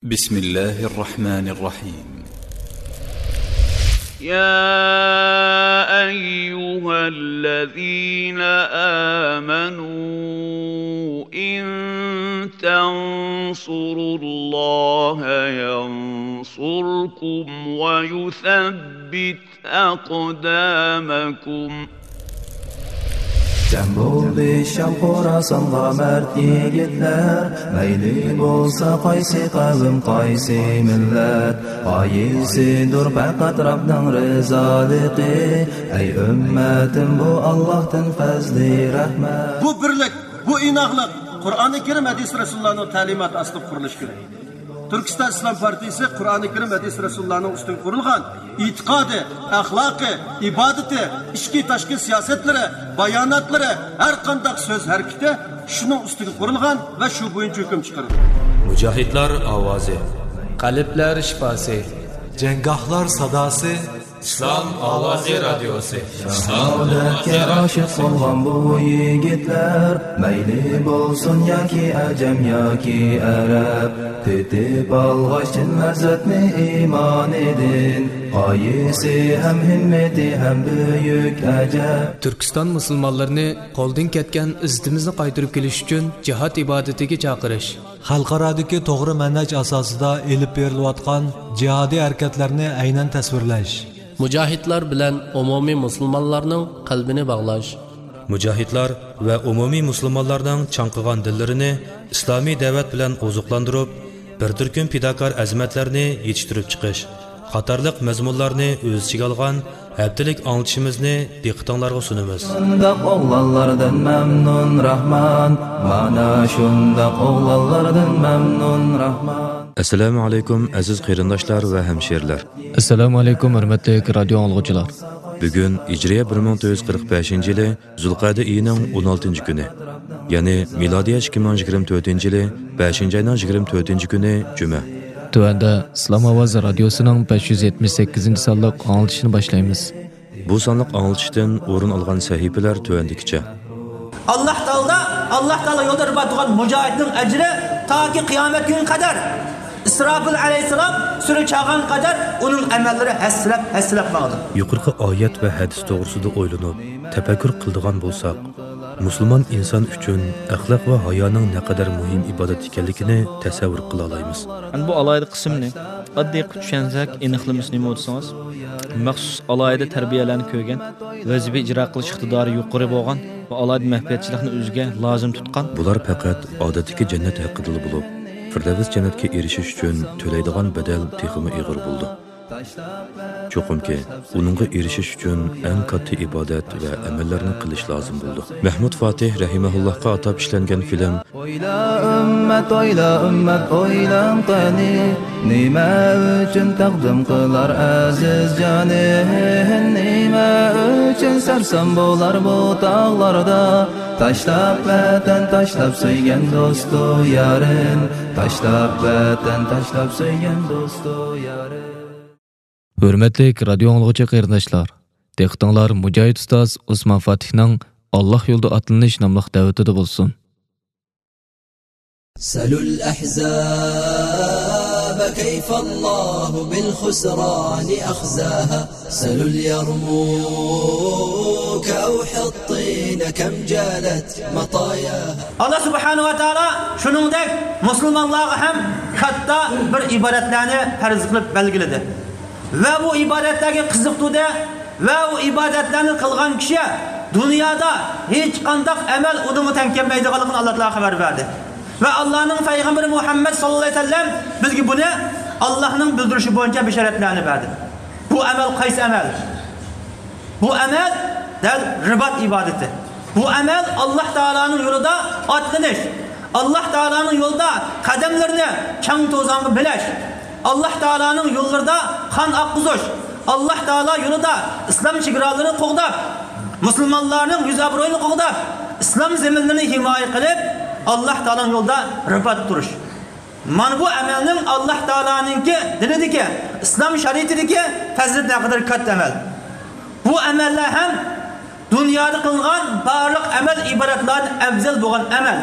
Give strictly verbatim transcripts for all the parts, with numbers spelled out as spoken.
بسم الله الرحمن الرحيم. يا أيها الذين آمنوا إن تنصروا الله ينصركم ويثبت أقدامكم. جەم بولدى شام خوراسانغا مەرد يىگىتلەر، مەيلى بولسا قايسى قەۋم، قايسى مىللەت، غايىسىدۇر پەقەت رەبنىڭ رىزالىقى. ئەي ئۈممەتىم، بۇ ئاللاھتىن پەزلى رەھمەت. بۇ بىرلىك، بۇ ئىناقلىق قۇرئانى كەرىم، ھەدىس رەسۇلۇللانىڭ تەلىماتى ئاستىدا قۇرۇلۇشى كېرەك. تۈركىستان ئىسلام پارتىيىسى قۇرئانى كەرىم، ھەدىس رەسۇلۇللانىڭ ئۈستىگە قۇرۇلغان ئېتىقادى، ئەخلاقى، ئىبادىتى، ئىچكى تاشقى سىياسەتلىرى، باياناتلىرى، ھەر قانداق سۆز ھەرىكىتى شۇنىڭ ئۈستىگە قۇرۇلغان ۋە شۇ بويىچە ھۆكۈم چىقىرىدۇ. مۇجاھىدلار ئاۋازى. قەلبلەر شىپاسى. جەڭگاھلار ساداسى. ئىسلام ئاۋازى رادىيوسى. شاھادەتكە ئاشىق بولغان بۇ يىگىتلەر، مەيلى بولسۇن ياكى ئەجەم ياكى ئەرەب، تېتىپ ئالغاچ چىن لەززەتنى ئىمانىدىن، غايىسى ھەم ھىممىتى ھەم بۈيۈك ئەجەب. تۈركىستان مۇسۇلمانلىرىنى قولدىن كەتكەن ئىززىتىمىزنى قايتۇرۇپ كېلىش ئۈچۈن جىھاد ئىبادىتىگە چاقىرىش. خەلقئارادىكى توغرا مەنھەج ئاساسىدا ئېلىپ بېرىلىۋاتقان جىھادىي ھەرىكەتلەرنى ئەينەن تەسۋىرلەش. مۇجاھىدلار بىلەن ئومۇمىي مۇسۇلمانلارنىڭ قەلبىنى باغلاش. مۇجاھىدلار ۋە ئومۇمىي مۇسۇلمانلارنىڭ چاڭقىغان دىللىرىنى ئىسلامىي دەۋەت بىلەن ئوزۇقلاندۇرۇپ، بىر تۈركۈم پىداكار ئەزىمەتلەرنى يېتىشتۈرۈپ چىقىش قاتارلىق مەزمۇنلارنى ئۆز ئىچىگە ئالغان ھەپتىلىك ئاڭلىتىشىمىزنى دىققىتىڭلارغا سۇنىمىز. شۇنداق ئوغلانلاردىن مەمنۇن راھمان، مانا شۇنداق ئوغلانلاردىن مەمنۇن راھمان. ئەسسالامۇ ئەلەيكۇم، ئەزىز قېرىنداشلار ۋە ھەمشىرىلەر. ئەسسالامۇ ئەلەيكۇم، ھۆرمەتلىك رادىيو ئاڭلىغۇچىلار. بۈگۈن ھىجرىيە بىر مىڭ تۆت يۈز قىرىق بەشىنچى يىلى زۇلقەدە ئېيىنىڭ ئون ئالتىنچى كۈنى، يەنى مىلادىيە ئىككى مىڭ يىگىرمە تۆتىنچى يىلى بەشىنچى ئاينىڭ يىگىرمە تۆتىنچى كۈنى جۈمە. تۆۋەندە ئىسلام ئاۋازى رادىيوسىنىڭ بەش يۈز يەتمىش سەككىزىنچى سانلىق ئاڭلىتىشىنى باشلايمىز. بۇ سانلىق ئاڭلىتىشتىن ئورۇن ئالغان سەھىپىلەر تۆۋەندىكىچە. ئاللاھ تائالا، ئاللاھ تائالا يولىدا رىبات تۇرغان مۇجاھىدنىڭ ئەجرى تاكى قىيامەت كۈنىگە قەدەر، ئىسراپىل ئەلەيھىسسالام سۈرە چالغان قەدەر ئۇنىڭ ئەمەللىرى ھەسسىلەپ، ھەسسىلەپ ماڭىدۇ. يۇقىرىقى ئايەت ۋە ھەدىس توغرىسىدا ئويلىنىپ، تەپەككۇر قىلىدىغان بولساق، مۇسۇلمان ئىنسان ئۈچۈن ئەخلاق ۋە ھايانىڭ نەقەدەر مۇھىم ئىبادەت ئىكەنلىكىنى تەسەۋۋۇر قىلالايمىز. ئەمدى بۇ ئالاھىدە قىسىمنى ئاددىي قىلىپ چۈشەنسەك، ئېنىقلىمىسى نېمە دېسىڭىز، مەخسۇس ئالاھىدە تەربىيەلەرنى كۆرگەن، ۋەزىپە ئىجرا قىلىش ئىقتىدارى يۇقىرى بولغان ۋە ئالاھىدە مەخپىيەتچىلىكنى ئۆزىگە لازىم تۇتقان. بۇلار پەقەت ئادەتتىكى جەننەت ھەققىدىلا بولۇپ، فىردەۋس جەننەتكە ئېرىشىش ئۈچۈن تۆلەيدىغان بەدەل تېخىمۇ ئېغىر بولىدۇ. چوقۇمكى، ئۇنىڭغا ئېرىشىش ئۈچۈن ئەڭ كاتتا ئىبادەت ۋە ئەمەللەرنى قىلىش لازىم بولىدۇ. مەھمۇد فاتىھ رەھىمەھۇللاھقا ئاتاپ ئىشلەنگەن فىلىم. ئويلا ئۈممەت، ئويلا ئۈممەت، ئويلاڭ قېنى، نېمە ئۈچۈن تەقدىم قىلار ئەزىز جانىن؟ نېمە ئۈچۈن سەرسان بولار بۇ تاغلاردا؟ تاشلاپ ۋەتەن، تاشلاپ سۆيگەن دوستۇ يارىن، تاشلاپ ۋەتەن، تاشلاپ سۆيگەن دوستۇ يارىن. ھۆرمەتلىك رادىيو ئاڭلىغۇچى قېرىنداشلار، دىققىتىڭلار مۇجاھىد ئۇستاز ئوسمان فاتىھنىڭ «ئاللاھ يولىدا ئاتلىنىش» ناملىق دەۋىتىدە بولسۇن. سلوا الأحزاب كيف الله بالخسران أخزاها، سلوا اليرموك أو حطين كم جالت مطاياها. ئاللاھ سۇبھانەھۇ ۋە تائالا شۇنىڭدەك مۇسۇلمانلارغا ھەم كاتتا بىر ئىبادەتلەرنى پەرز قىلىپ بەلگىلىدى. ۋە بۇ ئىبادەتلەرگە قىزىقتۇردى. ۋە ئۇ ئىبادەتلەرنى قىلغان كىشى دۇنيادا ھېچقانداق ئەمەل ئۇنىڭغا تەڭ كەلمەيدىغانلىقىنى ئاللاھ تائالا خەۋەر بەردى. ۋە ئاللاھنىڭ پەيغەمبىرى مۇھەممەد ساللاللاھۇ ئەلەيھى ۋەسەللەم بىزگە بۇنى ئاللاھنىڭ بىلدۈرۈشى بويىچە بېشارەتلەرنى بەردى. بۇ ئەمەل قايسى ئەمەل؟ بۇ ئەمەل دەل رىبات ئىبادىتى. بۇ ئەمەل ئاللاھ تائالانىڭ يولىدا ئاتلىنىش، ئاللاھ تائالانىڭ يولىدا قەدەملىرىنى چاڭ توزانغا بىلەش، ئاللاھ تائالانىڭ يوللىرىدا قان ئاققۇزۇش، ئاللاھ تائالا يولىدا ئىسلام چېگرالىرىنى قوغداپ، مۇسۇلمانلارنىڭ يۈز ئابرۇيىنى قوغداپ، ئىسلام زېمىنلىرىنى ھىمايە قىلىپ، ئاللاھ تائالانىڭ يولىدا رىبات تۇرۇش. مانا بۇ ئەمەلنىڭ ئاللاھ تائالانىڭكى دىنىدىكى، ئىسلام شەرىئىتىدىكى پەزىلىتى نەقەدەر كاتتا ئەمەل. بۇ ئەمەللەر ھەم دۇنيادا قىلىنغان بارلىق ئەمەل ئىبادەتلەردىن ئەۋزەل بولغان ئەمەل.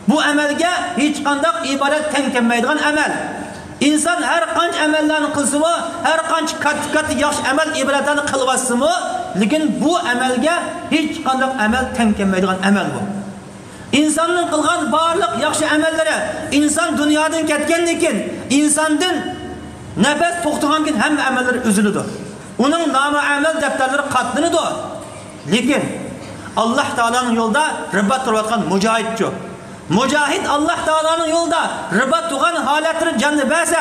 بۇ ئەمەلگە ھېچقانداق ئىبادەت تەڭ كەلمەيدىغان ئەمەل. ئىنسان ھەر قانچە ئەمەللەرنى قىلسىمۇ، ھەر قانچە كاتتا-كاتتا ياخشى ئەمەل، ئىبادەتلەرنى قىلىۋاتسىمۇ، لېكىن بۇ ئەمەلگە ھېچقانداق ئەمەل تەڭ كەلمەيدىغان ئەمەل بۇ. ئىنساننىڭ قىلغان بارلىق ياخشى ئەمەللىرى، ئىنسان دۇنيادىن كەتكەندىن كېيىن، ئىنساندىن نەپەس توختىغاندىن كېيىن ھەممە ئەمەللىرى ئۈزۈلىدۇ. ئۇنىڭ نامە ئەمەل دەپتەرلىرى قاتلىنىدۇ. لېكىن ئاللاھ تائالانىڭ يولىدا رىبات تۇرۇۋاتقان مۇجاھىدچۇ؟ مۇجاھىد ئاللاھ تائالانىڭ يولىدا رىبات تۇرغان ھالەتلىرى جاننى بەرسە،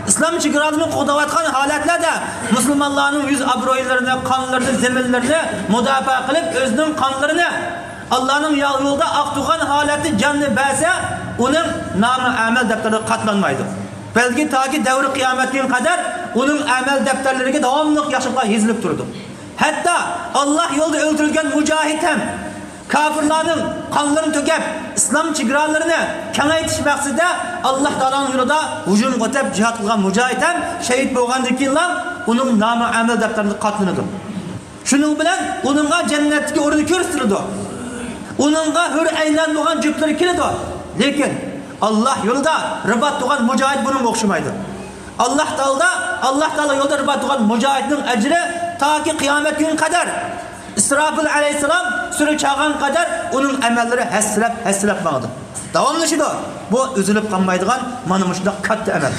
ئىسلام چېگرالىرىنى قوغداۋاتقان ھالەتلەردە مۇسۇلمانلارنىڭ يۈز ئابرۇيلىرىنى، قانلىرىنى، زېمىنلىرىنى مۇداپىئە قىلىپ، ئۆزىنىڭ قانلىرىنى ئاللاھنىڭ يا-، يولىدا ئاقتۇرغان ھالەتتە جاننى بەرسە، ئۇنىڭ نامە ئەمەل دەپتەرلىرى قاتلانمايدۇ. بەلكى تاكى دەۋرى قىيامەتكە كەلگۈنگە قەدەر ئۇنىڭ ئەمەل دەپتەرلىرىگە داۋاملىق ياخشىلىقلار يېزىلىپ تۇرىدۇ. ھەتتا ئاللاھ يولىدا ئۆلتۈرۈلگەن مۇجاھىد ھەم كاپىرلارنىڭ قانلىرىنى تۆكۈپ، ئىسلام چېگرالىرىنى كېڭەيتىش مەقسىتىدە ئاللاھ تائالانىڭ يولىدا ھۇجۇمغا ئۆتۈپ جىھاد قىلغان مۇجاھىد ھەم شېھىت بولغاندىن كېيىنلا ئۇنىڭ نامە ئەمەل دەپتەرلىرى قاتلىنىدۇ. شۇنىڭ بىلەن ئۇنىڭغا جەننەتتىكى ئورنى كۆرسىتىلىدۇ. ئۇنىڭغا ھۆر ئەينەن بولغان جۈپلىرى كېلىدۇ. لېكىن ئاللاھ يولىدا رىبات تۇرغان مۇجاھىد بۇنىڭغا ئوخشىمايدۇ. ئاللاھ تائالا، ئاللاھ تائالا يولىدا رىبات تۇرغان مۇجاھىدنىڭ ئەجرى تاكى قىيامەت كۈنىگە قەدەر، ئىسراپىل ئەلەيھىسسالام سۈرە چالغان قەدەر ئۇنىڭ ئەمەللىرى ھەسسىلەپ، ھەسسىلەپ ماڭىدۇ. داۋاملىشىدۇ. بۇ ئۈزۈلۈپ قالمايدىغان مانا مۇشۇنداق كاتتا ئەمەل.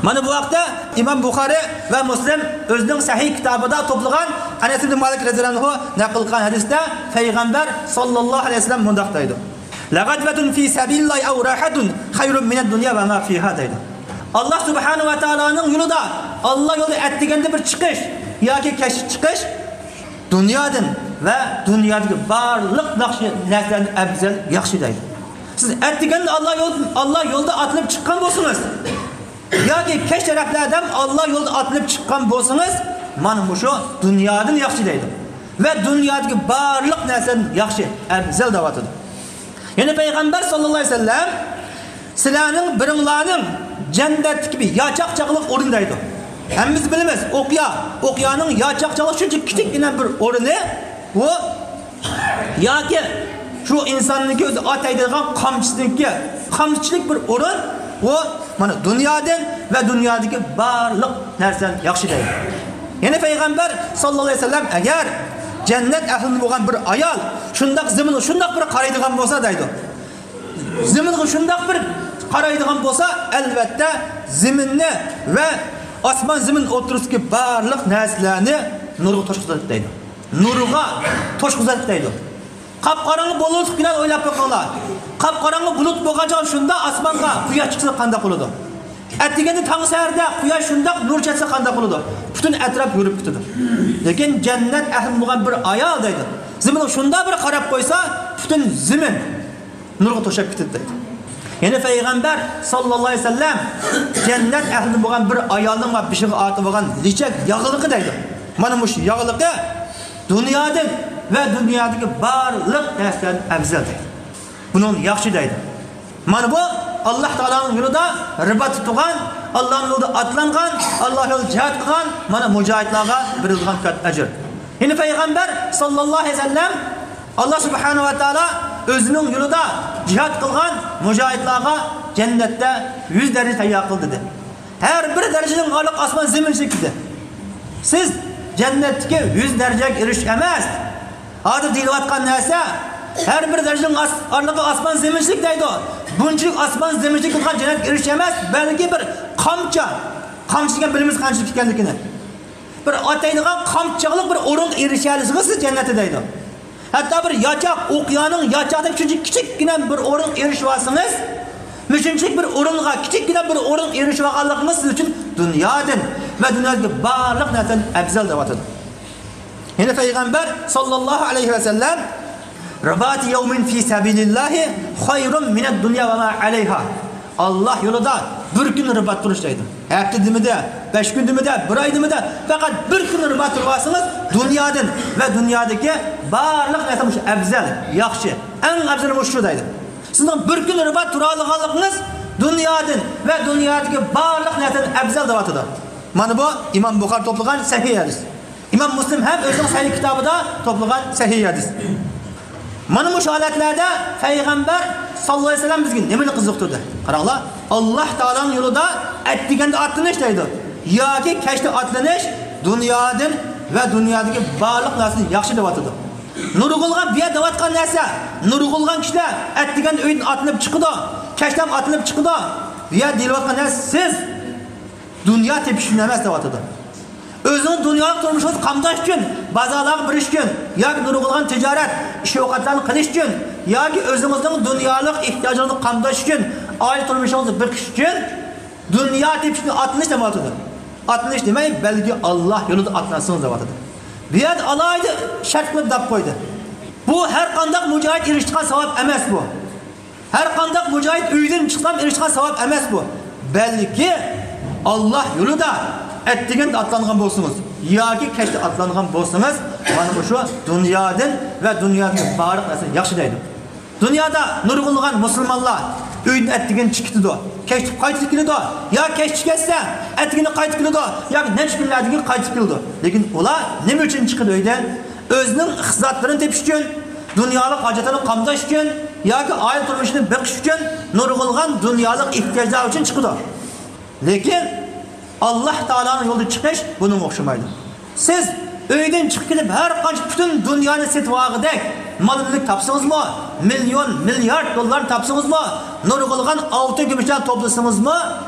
مانا بۇ ھەقتە ئىمام بۇخارى ۋە مۇسلىم ئۆزىنىڭ سەھىھ كىتابىدا توپلىغان ئەنەس ئىبن مالىك رەزىياللاھۇ ئەنھۇ نەقىل قىلغان ھەدىستە پەيغەمبەر ساللاللاھۇ ئەلەيھى ۋەسەللەم مۇنداق دەيدۇ: «لغدوة في سبيل الله أو راحة خير من الدنيا وما فيها» دەيدۇ. ئاللاھ سۇبھانەھۇ ۋە تائالانىڭ يولىدا، ئاللاھ يولىدا ئەتىگەندە بىر چىقىش ياكى كەچتە چىقىش دۇنيادىن ۋە دۇنيادىكى بارلىق ياخشى نەرسىلەردىن ئەۋزەل، ياخشى دەيدۇ. سىز ئەتىگەندە ئاللاھ يول-، ئاللاھ يولىدا ئاتلىنىپ چىققان بولسىڭىز، ياكى كەچ تەرەپلەردە ئاللاھ يولىدا ئاتلىنىپ چىققان بولسىڭىز، مانا مۇشۇ دۇنيادىن ياخشى دەيدۇ. ۋە دۇنيادىكى بارلىق نەرسىدىن ياخشى، ئەۋزەل دەۋاتىدۇ. يەنە پەيغەمبەر ساللاللاھۇ ئەلەيھى ۋەسەللەم، سىلەرنىڭ بىرىڭلارنىڭ جەننەتتىكى بىر ياچاق چاغلىق ئورنى دەيدۇ. ھەممىمىز بىلىمىز، ئوقيا، ئوقيانىڭ ياچاق چاغلىق شۇنچە كىچىككىنە بىر ئورنى، بۇ ياكى شۇ ئىنساننىڭكى ئۆزى ئاتايدىغان قامچىسىنىڭكى، قامچىلىق بىر ئورۇن، بۇ مانا دۇنيادىن ۋە دۇنيادىكى بارلىق نەرسىدىن ياخشى دەيدۇ. يەنە پەيغەمبەر ساللاللاھۇ ئەلەيھى ۋەسەللەم، ئەگەر جەننەت ئەھلىدىن بولغان بىر ئايال شۇنداق زېمىنغا شۇنداق بىر قارايدىغان بولسا دەيدۇ، زېمىنغا شۇنداق بىر قارايدىغان بولسا، ئەلۋەتتە زېمىننى ۋە ئاسمان زېمىن ئوتتۇرىسىدىكى بارلىق نەرسىلەرنى نۇرغا توشقۇزاتتى دەيدۇ. نۇرغا توشقۇزاتتى دەيدۇ. قاپقاراڭغۇ بۇلۇتلۇق بىلەن ئويلاپ بېقىڭلار. قاپقاراڭغۇ بۇلۇت بولغان چاغ شۇنداق ئاسمانغا قۇياش چىقسا قانداق بولىدۇ؟ ئەتىگەندە تاڭ سەھەردە قۇياش شۇنداق نۇر چاچسا قانداق بولىدۇ؟ پۈتۈن ئەتراپ يورۇپ كېتىدۇ. لېكىن جەننەت ئەھلى بولغان بىر ئايال دەيدۇ، زېمىنغا شۇنداق بىر قاراپ قويسا، پۈتۈن زېمىن نۇرغا توشاپ كېتىدۇ دەيدۇ. يەنە پەيغەمبەر ساللاللاھۇ ئەلەيھى ۋەسەللەم جەننەت ئەھلىدىن بولغان بىر ئايالنىڭ بېشىغا ئارتىۋالغان لېچەك ياغلىقى دەيدۇ. مانا مۇشۇ ياغلىقى دۇنيادىن ۋە دۇنيادىكى بارلىق نەرسىلەردىن ئەۋزەل دەيدۇ. بۇنىڭ ياخشى دەيدۇ. مانا بۇ ئاللاھ تائالانىڭ يولىدا رىباتتا تۇرغان، ئاللاھنىڭ يولىدا ئاتلانغان، ئاللاھ يولىدا جىھاد قىلغان مانا مۇجاھىدلارغا بېرىلىدىغان كاتتا ئەجىر. يەنە پەيغەمبەر ساللاللاھۇ ئەلەيھى ۋەسەللەم، ئاللاھ سۇبھانەھۇ ۋە تائالا ئۆزىنىڭ يولىدا جىھاد قىلغان مۇجاھىدلارغا جەننەتتە يۈز دەرىجە تەييار قىلدى دېدى. ھەر بىر دەرىجىنىڭ ئارىلىقى ئاسمان زېمىن شەكلىدە. سىز جەننەتتىكى يۈز دەرىجىگە ئېرىشىش ئەمەس. ھازىر دېيىلىۋاتقان نەرسە، ھەر بىر دەرىجىنىڭ ئاس-، ئارىلىقى ئاسمان زېمىنچىلىك دەيدۇ. بۇنچىلىك ئاسمان زېمىنچىلىك بولغان جەننەتكە ئېرىشىش ئەمەس، بەلكى بىر قامچا. قامچا دېگەن بىلىمىز قانچىلىك ئىكەنلىكىنى. بىر ئاتايدىغان قامچىلىق بىر ئورۇنغا ئېرىشەلىسىڭىز، سىز جەننەتتە دەيدۇ. ھەتتا بىر ياچاق، ئوقيانىڭ ياچاقتەك شۇنچە كىچىككىنە بىر ئورۇنغا ئېرىشىۋالسىڭىز، مۇشۇنچىلىك بىر ئورۇنغا، كىچىككىنە بىر ئورۇنغا ئېرىشىۋالغانلىقىڭىز سىز ئۈچۈن دۇنيادىن ۋە دۇنيادىكى بارلىق نەرسىدىن ئەۋزەل دەۋاتىدۇ. يەنە پەيغەمبەر ساللاللاھۇ ئەلەيھى ۋەسەللەم، «رباط يوم في سبيل الله خير من الدنيا وما عليها». ئاللاھ يولىدا بىر كۈن رىبات تۇرۇش دەيدۇ. ھەپتە دېمىدە، بەش كۈن دېمىدە، بىر ئاي دېمىدە، پەقەت بىر كۈن رىبات تۇرۇۋالسىڭىز، دۇنيادىن ۋە دۇنيادىكى بارلىق نەرسە مۇشۇ ئەۋزەل، ياخشى، ئەڭ ئەۋزەل مۇشۇ دەيدۇ. سىزنىڭ بىر كۈن رىبات تۇرالىغانلىقىڭىز دۇنيادىن ۋە دۇنيادىكى بارلىق نەرسىدىن ئەۋزەل دەۋاتىدۇ. مانا بۇ ئىمام بۇخارى توپلىغان سەھىھ ھەدىس. ئىمام مۇسلىم ھەم ئۆزىنىڭ سەھىھ كىتابىدا توپلىغان سەھىھ ھەدىس. مانا مۇشۇ ھالەتلەردە پەيغەمبەر ساللاللاھۇ ئەلەيھى ۋەسەللەم بىزگە نېمىنى قىزىقتۇردى؟ قاراڭلار، ئاللاھ تائالانىڭ يولىدا ئەتىگەندە ئاتلىنىش دەيدۇ. ياكى كەچتە ئاتلىنىش دۇنيادىن ۋە دۇنيادىكى بارلىق نەرسىدىن ياخشى دەۋاتىدۇ. نۇرغۇنلىغان بۇ يەردە دەۋاتقان نەرسە، نۇرغۇنلىغان كىشىلەر ئەتىگەندە ئۆيدىن ئاتلىنىپ چىقىدۇ، كەچتە ھەم ئاتلىنىپ چىقىدۇ. بۇ يەردە دېيىلىۋاتقان نەرسە سىز دۇنيا تېپىش ئۈچۈن ئەمەس دەۋاتىدۇ. ئۆزىڭىز دۇنيالىق تۇرمۇشىڭىزنى قامداش ئۈچۈن، بازارلارغا بېرىش ئۈچۈن ياكى نۇرغۇنلىغان تىجارەت، ئىش-ئوقەتلەرنى قىلىش ئۈچۈن ياكى ئۆزىڭىزنىڭ دۇنيالىق ئېھتىياجىڭىزنى قامداش ئۈچۈن، ئائىلە تۇرمۇشىڭىزنى بېقىش ئۈچۈن دۇنيا تېپىش ئۈچۈن ئاتلىنىش دەۋاتىدۇ. ئاتلىنىش دېمەي، بەلكى ئاللاھ يولىدا ئاتلانسىڭىز دەۋاتىدۇ. بۇ يەردە ئالاھىدە شەرت قىلىپ دەپ قويدى. بۇ ھەر قانداق مۇجاھىد ئېرىشىدىغان ساۋاب ئەمەس بۇ. ھەر قانداق مۇجاھىد ئۆيدىن چىقسام ئېرىشىدىغان ساۋاب ئەمەس بۇ. بەلكى ئاللاھ يولىدا ئەتىگەندە ئاتلانغان بولسىڭىز ياكى كەچتە ئاتلانغان بولسىڭىز، مانا مۇشۇ دۇنيادىن ۋە دۇنيادىكى بارلىق نەرسىنى ياخشى دەيدۇ. دۇنيادا نۇرغۇنلىغان مۇسۇلمانلار ئۆيدىن ئەتىگەن چىقىپ كېتىدۇ، كەچتە قايتىپ كېلىدۇ، يا كەچتە كەتسە ئەتىگىنى قايتىپ كېلىدۇ، ياكى نەچچە كۈنلەردىن كېيىن قايتىپ كېلىدۇ. لېكىن ئۇلار نېمە ئۈچۈن چىقىدۇ ئۆيدىن؟ ئۆزىنىڭ ئىقتىسادلىرىنى تېپىش ئۈچۈن، دۇنيالىق ھاجەتلىرىنى قامداش ئۈچۈن ياكى ئائىلە تۇرمۇشىنى بېقىش ئۈچۈن، نۇرغۇنلىغان دۇنيالىق ئېھتىياجلار ئۈچۈن چىقىدۇ. لېكىن ئاللاھ تائالانىڭ يولىدا چىقىش بۇنىڭغا ئوخشىمايدۇ. سىز ئۆيدىن چىقىپ كېتىپ، ھەر قانچە پۈتۈن دۇنيانى سېتىۋالغۇدەك مال مۈلۈك تاپسىڭىزمۇ، مىليون، مىليارد دوللارنى تاپسىڭىزمۇ، نۇرغۇنلىغان ئالتۇن كۈمۈشلەرنى توپلىسىڭىزمۇ،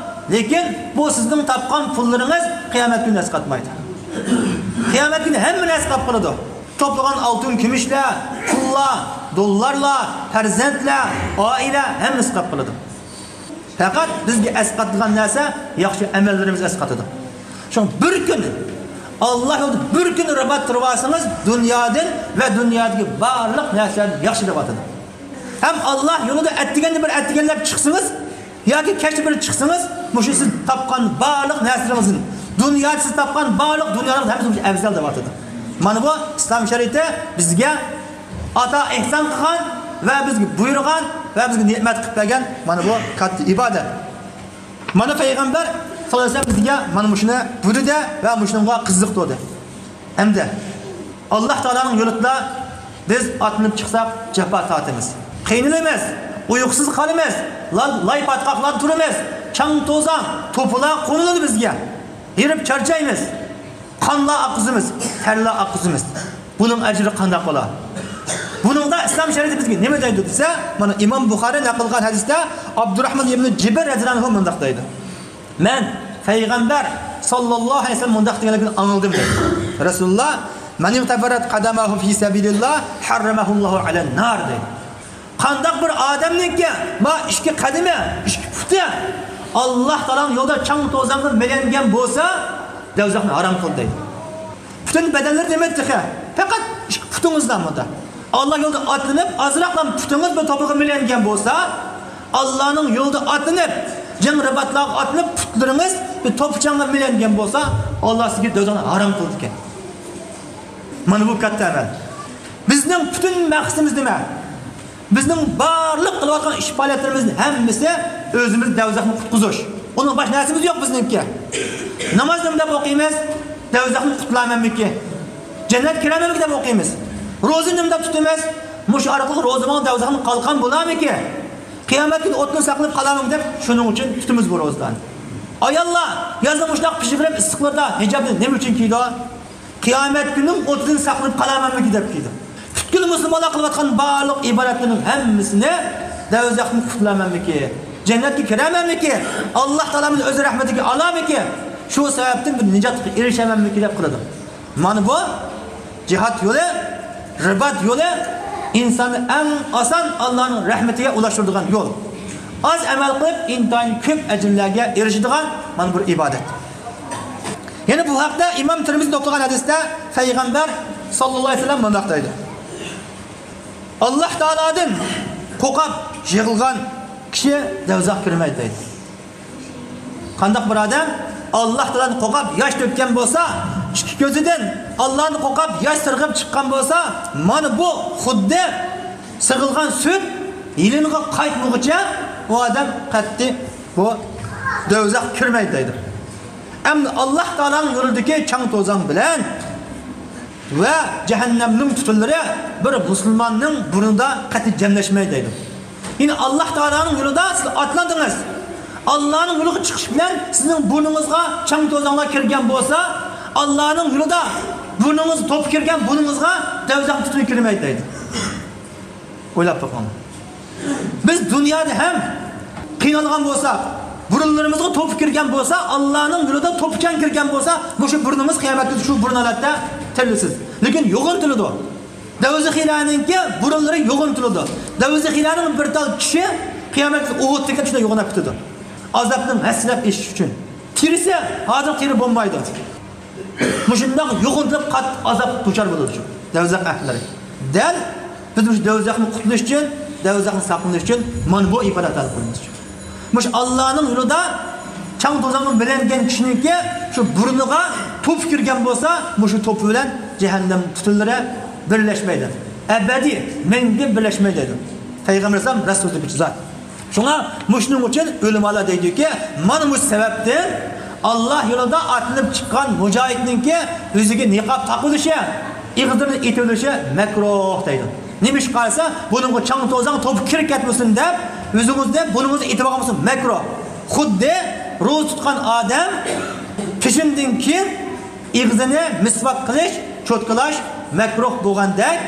لېكىن بۇ سىزنىڭ تاپقان پۇللىرىڭىز قىيامەت كۈنى ئەسقاتمايدۇ. قىيامەت كۈنى ھەممىنى ئەسقاپ قالىدۇ. توپلىغان ئالتۇن كۈمۈشلەر، پۇللار، دوللارلار، پەرزەنتلەر، ئائىلە، ھەممىسى ئەسقاپ قالىدۇ. پەقەت بىزگە ئەسقاتىدىغان نەرسە ياخشى ئەمەللىرىمىز ئەسقاتىدۇ. شۇڭا بىر كۈن، ئاللاھ يولىدا بىر كۈن رىبات تۇرۇۋالسىڭىز، دۇنيادىن ۋە دۇنيادىكى بارلىق نەرسىلەردىن ياخشى دەۋاتىدۇ. ھەم ئاللاھ يولىدا ئەتىگەندە بىر ئەتىگەنلەپ چىقسىڭىز ياكى كەچتە بىر چىقسىڭىز، مۇشۇ سىز تاپقان بارلىق نەرسىلىرىڭىزدىن، دۇنيادا سىز تاپقان بارلىق دۇنيالىق نەرسە مۇشۇ ئەۋزەل دەۋاتىدۇ. مانا بۇ ئىسلام شەرىئىتى بىزگە ئاتا ئېھسان قىلغان ۋە بىزگە بۇيرۇغان ۋە بىزگە نېمەت قىلىپ بەرگەن مانا بۇ كاتتا ئىبادەت. مانا پەيغەمبەر ساللاللاھۇ ئەلەيھى ۋەسەللەم بىزگە مانا مۇشۇنى بۇيرۇدى ۋە مۇشۇنىڭغا قىزىقتۇردى. ئەمدى ئاللاھ تائالانىڭ يولىدا بىز ئاتلىنىپ چىقساق جاپا تارتىمىز، قىينىلىمىز، ئۇيقۇسىز قالىمىز، لا-، لاي پاتقاقلاردا تۇرىمىز، چاڭ-توزان، توپىلار قونۇلىدۇ بىزگە، ھېرىپ چارچايمىز. قانلار ئاققۇزىمىز، تەرلەر ئاققۇزىمىز. بۇنىڭ ئەجرى قانداق بولا؟ بۇنىڭدا ئىسلام شەرىئىتى بىزگە نېمە دەيدۇ دېسە، مانا ئىمام بۇخارى نەقىل قىلغان ھەدىستە ئابدۇراھمان ئىبنى جىبىر رەزىيەللاھۇ ئەنھۇ مۇنداق دەيدۇ. مەن پەيغەمبەر ساللاللاھۇ ئەلەيھى ۋەسەللەم مۇنداق دېگەنلىكىنى ئاڭلىدىم دەيدۇ. رەسۇلۇللاھ، مەن ئىغتەفەرەت قەدەمەھۇ فى سەبىلىللاھ ھەررەمەھۇللاھۇ ئەلەن نار دەيدۇ. قانداق بىر ئادەمنىڭكى ما ئىككى قەدىمى، ئىككى پۇتى ئاللاھ تائالانىڭ يولىدا چاڭ-توزانغا مىلەنگەن بولسا، دوزاخنى ھارام قىلدى دەيدۇ. پۈتۈن بەدەنلىرى دېمەيدۇ تېخى. پەقەت ئىككى پۇتىڭىزلا مۇندا. ئاللاھ يولىدا ئاتلىنىپ، ئازراقلا پۇتىڭىز بىر توپىغا مىلەنگەن بولسا، ئاللاھنىڭ يولىدا ئاتلىنىپ، جەڭ رىباتلارغا ئاتلىنىپ، پۇتلىرىڭىز بىر توپا چاڭغا مىلەنگەن بولسا، ئاللاھ سىزگە دوزاخنى ھارام قىلىدىكەن. مانا بۇ كاتتا ئەمەل. بىزنىڭ پۈتۈن مەقسىتىمىز نېمە؟ بىزنىڭ بارلىق قىلىۋاتقان ئىش پائالىيەتلىرىمىزنىڭ ھەممىسى ئۆزىمىزنى دوزاختىن قۇتقۇزۇش. ئۇنىڭ باشقا نەرسىمىز يوق بىزنىڭكى. ناماز نېمە دەپ ئوقۇيمىز؟ دوزاختىن قۇتۇلامەنمىكى؟ جەننەتكە كىرەمەنمىكى دەپ ئوقۇيمىز. روزا نېمە دەپ تۇتىمىز؟ مۇشۇ ئارقىلىق روزا ماڭا دوزاختىن قالقان بولامىكى؟ قىيامەت كۈنى ئوتتىن ساقلىنىپ قالامەن دەپ شۇنىڭ ئۈچۈن تۇتىمىز بۇ روزىلارنى. ئاياللار يازدا مۇشۇنداق پىشىپ ئىسسىقلىرىدا ھىجابنى نېمە ئۈچۈن كىيىدۇ؟ قىيامەت كۈنىنىڭ ئوتىدىن ساقلىنىپ قالامەنمىكى دەپ كىيدۇ. پۈتكۈل مۇسۇلمانلار قىلىۋاتقان بارلىق ئىبادەتلىرىنىڭ ھەممىسىنى دوزاختىن قۇتۇلامەنمىكى؟ جەننەتكە كىرەمەنمىكى؟ ئاللاھ تائالا مېنى ئۆز رەھمىتىگە ئالامىكى؟ شۇ سەۋەبتىن بىر نىجاتقا ئېرىشەمەنمىكى دەپ قىلىدۇ. مانا بۇ جىھاد يولى، رىبات يولى ئىنساننى ئەڭ ئاسان ئاللاھنىڭ رەھمىتىگە ئۇلاشتۇرىدىغان يول. ئاز ئەمەل قىلىپ، ئىنتايىن كۆپ ئەجىرلەرگە ئېرىشىدىغان مانا بىر ئىبادەت. يەنە بۇ ھەقتە ئىمام تىرمىزى توپلىغان ھەدىستە پەيغەمبەر ساللاللاھۇ ئەلەيھى ۋەسەللەم مۇنداق دەيدۇ: ئاللاھ تائالادىن قورقۇپ يىغلىغان كىشى دوزاخقا كىرمەيدۇ دەيدۇ. قانداق بىر ئادەم ئاللاھ تائالادىن قورقۇپ ياش تۆككەن بولسا، ئىككى كۆزىدىن ئاللاھنى قورقۇپ ياش سىرغىپ چىققان بولسا، مانا بۇ خۇددى سىغىلغان سۈت يېلىنغا قايتمىغۇچە ئۇ ئادەم قەتئىي بۇ دوزاخقا كىرمەيدۇ دەيدۇ. ئەمدى ئاللاھ تائالانىڭ يولىدىكى چاڭ-توزان بىلەن ۋە جەھەننەمنىڭ تۈتۈنلىرى بىر مۇسۇلماننىڭ بۇرنىدا قەتئىي جەملەشمەيدۇ دەيدۇ. يەنى ئاللاھ تائالانىڭ يولىدا سىز ئاتلاندىڭىز. ئاللاھنىڭ يولىغا چىقىش بىلەن سىزنىڭ بۇرنىڭىزغا چاڭ توزانلار كىرگەن بولسا، ئاللاھنىڭ يولىدا بۇرنىڭىز توپا كىرگەن بۇرنىڭىزغا دەۋزەخ تۈتۈنى كىرمەيدۇ دەيدۇ. ئويلاپ بېقىڭ. بىز دۇنيادا ھەم قىينالغان بولساق، بۇرۇنلىرىمىزغا توپا كىرگەن بولسا، ئاللاھنىڭ يولىدا توپا چاڭ كىرگەن بولسا، مۇشۇ بۇرنىمىز قىيامەتتە شۇ بۇرۇن ھالەتتە تىرىلىسىز. لېكىن يوغىنىتىلىدۇ. دەۋزىخىلەرنىڭكى بۇرۇنلىرى يوغىنىتىلىدۇ. دەۋزىخىلەرنىڭ بىر تال چىشى قىيامەتتە ئوتتەك شۇنداق يوغىناپ كېتىدۇ. ئازابنىڭ ھەسسىلەپ ئېشىش ئۈچۈن. تېرىسى ھازىر تېرە بولمايدۇ. مۇشۇنداق يوغىنىتىلىپ قاتتىق ئازاب دۇچار بولىدۇ شۇ دەۋزەخ ئەھلىلىرى. دەل بىز مۇشۇ دەۋزەخنى قۇتۇلۇش ئۈچۈن، دەۋزەخنى ساقلىنىش ئۈچۈن مانا بۇ ئىبادەتلەرنى قىلىمىز. مۇشۇ ئاللانىڭ يولىدا چاڭ توزانغا مىلەنگەن كىشىنىڭكى شۇ بۇرنىغا توپا كىرگەن بولسا، مۇشۇ توپا بىلەن جەھەننەم تۈتۈنلىرى بىرلەشمەيدۇ. ئەبەدىي، مەڭگۈ بىرلەشمەيدۇ دەيدۇ. پەيغەمبەر ئەلەيھىسسالام راست سۆزلىگۈچى زات. شۇڭا مۇشۇنىڭ ئۈچۈن ئۆلىمالار دەيدۇكى، مانا مۇشۇ سەۋەبتىن ئاللا يولىدا ئاتلىنىپ چىققان مۇجاھىدنىڭكى يۈزىگە نىقاب تاقىۋېلىشى، ئېغىزلىرىنى ئېتىۋېلىشى مەكرۇھ دەيدۇ. نېمىشقا دېسە، بۇنىڭغا چاڭ توزان توپا كىرىپ كەتمىسۇن دەپ، يۈزىڭىزنى، بۇرنىڭىزنى ئېتىۋالغان بولسا مەكرۇھ. خۇددى روزا تۇتقان ئادەم پېشىندىن كېيىن ئېغىزىنى مىسۋاك قىلىش، چوتكىلاش مەكرۇھ بولغاندەك،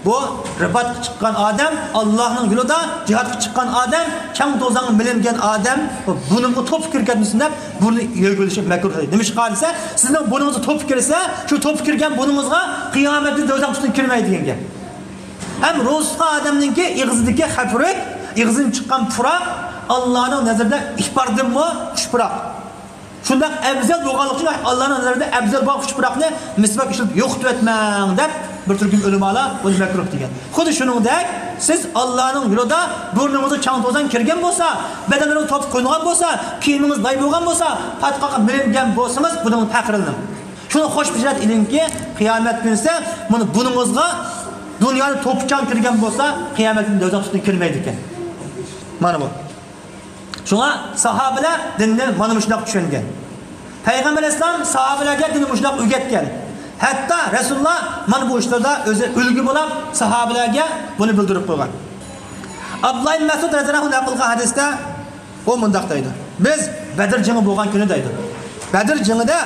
بۇ رىباتقا چىققان ئادەم، ئاللانىڭ يولىدا جىھادقا چىققان ئادەم، چاڭ توزانغا مىلەنگەن ئادەم بۇرنىغا توپا كىرىپ كەتمىسۇن دەپ، بۇرنى يۆگىلىشى مەكرۇھ دەيدۇ. نېمىشقا دېسە، سىزنىڭ بۇرنىڭىزغا توپا كىرسە، شۇ توپا كىرگەن بۇرنىڭىزغا قىيامەتتە دەۋزەخ تۈتۈنى كىرمەيدۇ دېگەن گەپ. ھەم روزا تۇتقان ئادەمنىڭكى ئېغىزىدىكى خەپرۈك، ئېغىزىدىن چىققان پۇراق ئاللانىڭ نەزىرىدە ئىپاردىنمۇ خۇش پۇراق. شۇنداق ئەۋزەل بولغانلىقى ئۈچۈن ئاللانىڭ نەزىرىدە ئەۋزەل بولغان خۇش پۇراقنى مىسۋاك ئىشلىتىپ يوقىتىۋەتمەڭ دەپ بىر تۈركۈم ئۆلىمالار بۇنى مەكرۇھ دېگەن. خۇددى شۇنىڭدەك سىز ئاللانىڭ يولىدا بۇرنىڭىزغا چاڭ توزان كىرگەن بولسا، بەدەنلىرىڭىز توپا قويۇلغان بولسا، كىيىمىڭىز لاي بولغان بولسا، پاتقاققا مىلەنگەن بولسىڭىز، بۇنىڭدىن پەخىرلىنىڭ. شۇنى خۇش بېشارەت ئېلىڭكى، قىيامەت كۈنىسى مانا بۇنىڭىزغا دۇنيادا توپا چاڭ كىرگەن بولسا، قىيامەت كۈنى دەۋزەخ تۈتۈنى كىرمەيدىكەن. مانا بۇ. شۇڭا ساھابىلەر دىننى مانا مۇشۇنداق چۈشەنگەن. پەيغەمبەر ئەلەيھىسسالام ساھابىلەرگە دىننى مۇشۇنداق ئۆگەتكەن. ھەتتا رەسۇلۇللا مانا بۇ ئىشلاردا ئۆزى ئۈلگە بولاپ، ساھابىلەرگە بۇنى بىلدۈرۈپ قويغان. ئابدۇللا ئىبن مەسئۇد رەزىياللاھۇ ئەنھۇ نەقىل قىلغان ھەدىستە ئۇ مۇنداق دەيدۇ: بىز بەدر جېڭى بولغان كۈنى دەيدۇ. بەدر جېڭىدە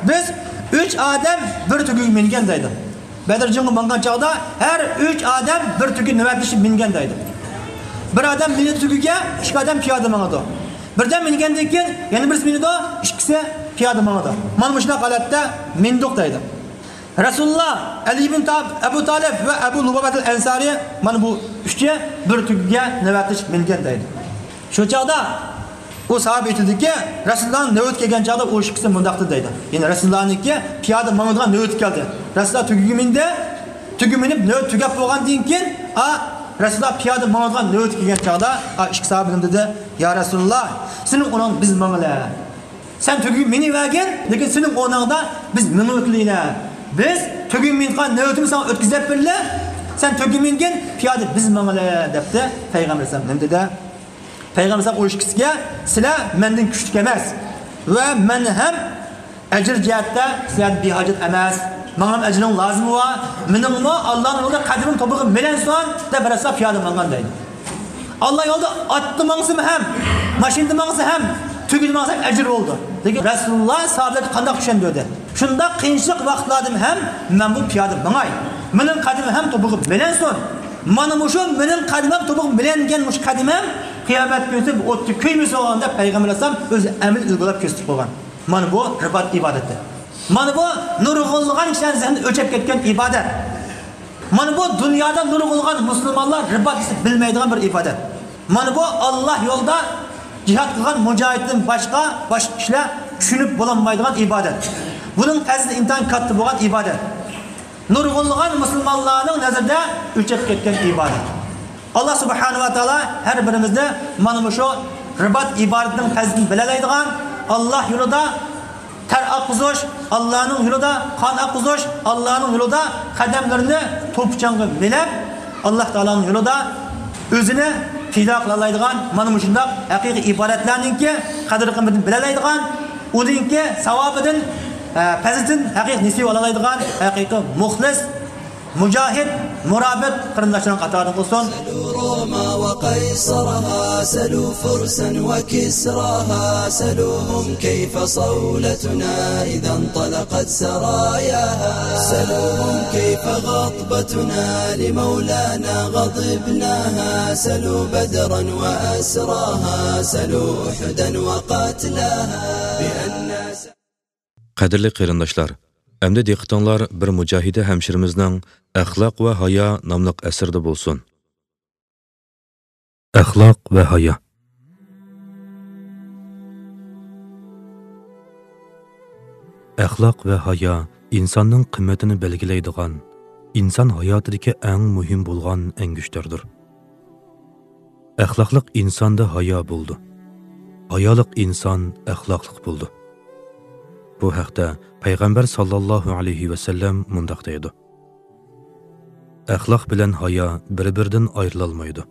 بىز ئۈچ ئادەم بىر تۆگىگە مىنگەن دەيدۇ. بەدر جېڭىغا ماڭغان چاغدا ھەر ئۈچ ئادەم بىر تۆگە نۆۋەتلىشىپ مىنگەن دەيدۇ. بىر ئادەم مىنىدۇ تۆگىگە، ئىككى ئادەم پىيادە ماڭىدۇ. بىردەم مىنگەندىن كېيىن يەنە بىرسى مىنىدۇ، ئىككىسى پىيادە ماڭىدۇ. مانا مۇشۇنداق ھالەتتە مىندۇق دەيدۇ. رەسۇلۇللا، ئەلى ئىبن تاب-، ئەبۇ تالىپ ۋە ئەبۇ لۇبابەتۇل ئەنسارى، مانا بۇ ئۈچى بىر تۆگىگە نۆۋەتلىشىپ مىنگەن دەيدۇ. شۇ چاغدا ئۇ ساھابە ئېيتىدۇكى، رەسۇلۇللانىڭ نۆۋىتى كەلگەن چاغدا ئۇ ئىككىسى مۇنداق دېدى دەيدۇ. يەنى رەسۇلۇللانىڭكى پىيادە ماڭىدىغان نۆۋىتى كەلدى. رەسۇلۇللا تۆگىگە مىندى. تۆگە مىنىپ نۆۋەت تۈگەپ بولغاندىن كېيىن، ئا، رەسۇلۇللا پىيادە ماڭىدىغان نۆۋىتى كەلگەن چاغدا، ئا، ئىككى ساھابە نېمە دېدى؟ يا رەسۇلۇللا، سېنىڭ ئورنۇڭدا بىز ماڭىلى. سەن تۆگىگە مىنىۋەرگىن، لېكىن سېنىڭ ئورنۇڭدا بىز مېڭىۋېتىلىلى. بىز تۆگىگە مىنىدىغان نۆۋىتىمىزنى ساڭا ئۆتكۈزۈپ بېرىلى. سەن تۆگىگە مىنگىن، پىيادە بىز ماڭىلى، دەپتۇ پەيغەمبەر ئەلەيھىسسالام. نېمە دېدى؟ پەيغەمبەر ئەلەيھىسسالام ئۇ ئىككىسىگە، سىلەر مەندىن كۈچلۈك ئەمەس ۋە مەن ھەم ئەجىر جەھەتتە سىلەردىن بىھاجەت ئەمەس. ماڭا ھەم ئەجرىڭ لازىمى بار. مېنىڭمۇ ئاللانىڭ يولىدا قەدىمىم توپىغا مىلەنسۇن دەپ رەسۇلۇللا پىيادە ماڭغان دەيدۇ. ئاللا يولىدا ئاتتا ماڭسىمۇ ھەم، ماشىنىدا ماڭسا ھەم، تۆگىدە ماڭسا ھەم ئەجىر بولىدۇ. لېكىن رەسۇلۇللا ساھابىلەرگە قانداق چۈشەندۈردى؟ شۇنداق قىيىنچىلىق ۋاقىتلاردىمۇ ھەم مەن بۇ پىيادە ماڭاي. مېنىڭ قەدىمىم ھەم توپىغا مىلەنسۇن. مانا مۇشۇ مېنىڭ قەدىمىم توپىغا مىلەنگەن مۇشۇ قەدىمىم قىيامەت كۈنىسى بۇ ئوتتا كۆيمىسۇن دەپ پەيغەمبەر ئەلەيھىسسالام ئۆزى ئەمەلىي ئۈلگە بولاپ كۆرسىتىپ قويغان. مانا بۇ رىبات ئىبادىتى. مانا بۇ نۇرغۇنلىغان كىشىلەرنىڭ زېھنىدىن ئۆچۈپ كەتكەن ئىبادەت. مانا بۇ دۇنيادا نۇرغۇنلىغان مۇسۇلمانلار رىبات دېسە بىلمەيدىغان بىر ئىبادەت. مانا بۇ ئاللا يولىدا جىھاد قىلغان مۇجاھىدتىن باشقا، باشقا كىشىلەر چۈشىنىپ بولالمايدىغان ئىبادەت. بۇنىڭ پەزىلىتى ئىنتايىن كاتتا بولغان ئىبادەت. نۇرغۇنلىغان مۇسۇلمانلارنىڭ نەزىرىدە ئۆچۈپ كەتكەن ئىبادەت. ئاللا سۇبھانەھۇ ۋە تائالا ھەر بىرىمىزنى مانا مۇشۇ رىبات ئىبادىتىنىڭ پەزىلىتىنى بىلەلەيدىغان، ئاللا يولىدا تەر ئاققۇزۇش، ئاللانىڭ يولىدا قان ئاققۇزۇش، ئاللانىڭ يولىدا قەدەملىرىنى توپا چاڭغا مىلەپ، ئاللا تائالانىڭ يولىدا ئۆزىنى پىدا قىلالايدىغان، مانا مۇشۇنداق ھەقىقىي ئىبادەتلەرنىڭكى قەدىر-قىممىتىنى بىلەلەيدىغان، ئۇنىڭكى ساۋابىدىن پەزىلىتىدىن ھەقىقىي نېسىۋە ئالالايدىغان ھەقىقىي مۇخلىس، مۇجاھىد، مۇرابىت قېرىنداشلارنىڭ قاتارىدىن قىلسۇن. سلوا روما وقيصرها، سلوا فرسا وكسراها، سلوهم كيف صولتنا إذا انطلقت سراياها، سلوهم كيف غضبتنا لمولانا غضبناها، سلوا بدرا وأسراها، سلوا أحدا وقتلاها، بأن قەدىرلىك قېرىنداشلار، ئەمدى دىققىتىڭلار بىر مۇجاھىدە ھەمشىرىمىزنىڭ ئەخلاق ۋە ھايا ناملىق ئەسىرىدە بولسۇن. ئەخلاق ۋە ھايا. ئەخلاق ۋە ھايا ئىنساننىڭ قىممىتىنى بەلگىلەيدىغان، ئىنسان ھاياتىدىكى ئەڭ مۇھىم بولغان ئەڭگۈشتەردۇر. ئەخلاقلىق ئىنساندا ھايا بولىدۇ. ھايالىق ئىنسان ئەخلاقلىق بولىدۇ. بۇ ھەقتە پەيغەمبەر ساللاللاھۇ ئەلەيھى ۋەسەللەم مۇنداق دەيدۇ: ئەخلاق بىلەن ھايا بىر-بىرىدىن ئايرىلالمايدۇ.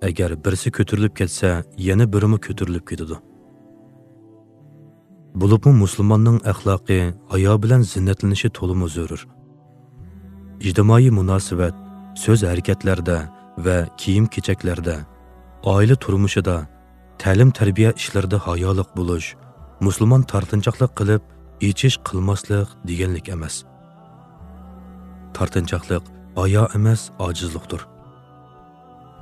ئەگەر بىرسى كۆتۈرۈلۈپ كەتسە، يەنە بىرىمۇ كۆتۈرۈلۈپ كېتىدۇ. بولۇپمۇ مۇسۇلماننىڭ ئەخلاقى ھايا بىلەن زىننەتلىنىشى تولىمۇ زۆرۈر. ئىجتىمائىي مۇناسىۋەت، سۆز-ھەرىكەتلەردە ۋە كىيىم-كېچەكلەردە، ئائىلە تۇرمۇشىدا، تەلىم-تەربىيە ئىشلىرىدا ھايالىق بولۇش، مۇسۇلمان تارتىنچاقلىق قىلىپ، ئېچىش قىلماسلىق دېگەنلىك ئەمەس. تارتىنچاقلىق ھايا ئەمەس، ئاجىزلىقتۇر.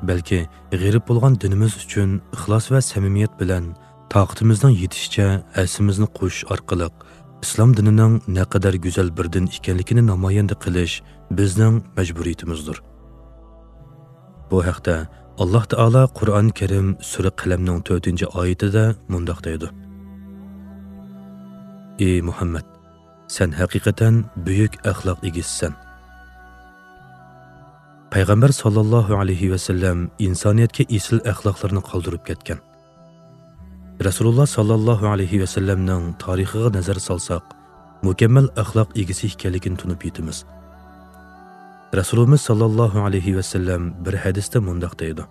بەلكى غېرىب بولغان دىنىمىز ئۈچۈن ئىخلاس ۋە سەمىمىيەت بىلەن تاقىتىمىزنىڭ يېتىشىچە ھەسسىمىزنى قوشۇش ئارقىلىق ئىسلام دىنىنىڭ نەقەدەر گۈزەل بىر دىن ئىكەنلىكىنى نامايەندە قىلىش بىزنىڭ مەجبۇرىيىتىمىزدۇر. بۇ ھەقتە ئاللاھ تائالا قۇرئان كەرىم سۈرە قەلەمنىڭ تۆتىنچى ئايىتىدە مۇنداق دەيدۇ: ئى مۇھەممەد، سەن ھەقىقەتەن بۈيۈك ئەخلاق ئىگىسىسەن. پەيغەمبەر ساللاللاھۇ ئەلەيھى ۋەسەللەم ئىنسانىيەتكە ئېسىل ئەخلاقلارنى قالدۇرۇپ كەتكەن. رەسۇلۇللا ساللاللاھۇ ئەلەيھى ۋەسەللەمنىڭ تارىخىغا نەزەر سالساق، مۇكەممەل ئەخلاق ئىگىسى ئىكەنلىكىنى تونۇپ يېتىمىز. رەسۇلىمىز ساللاللاھۇ ئەلەيھى ۋەسەللەم بىر ھەدىستە مۇنداق دەيدۇ: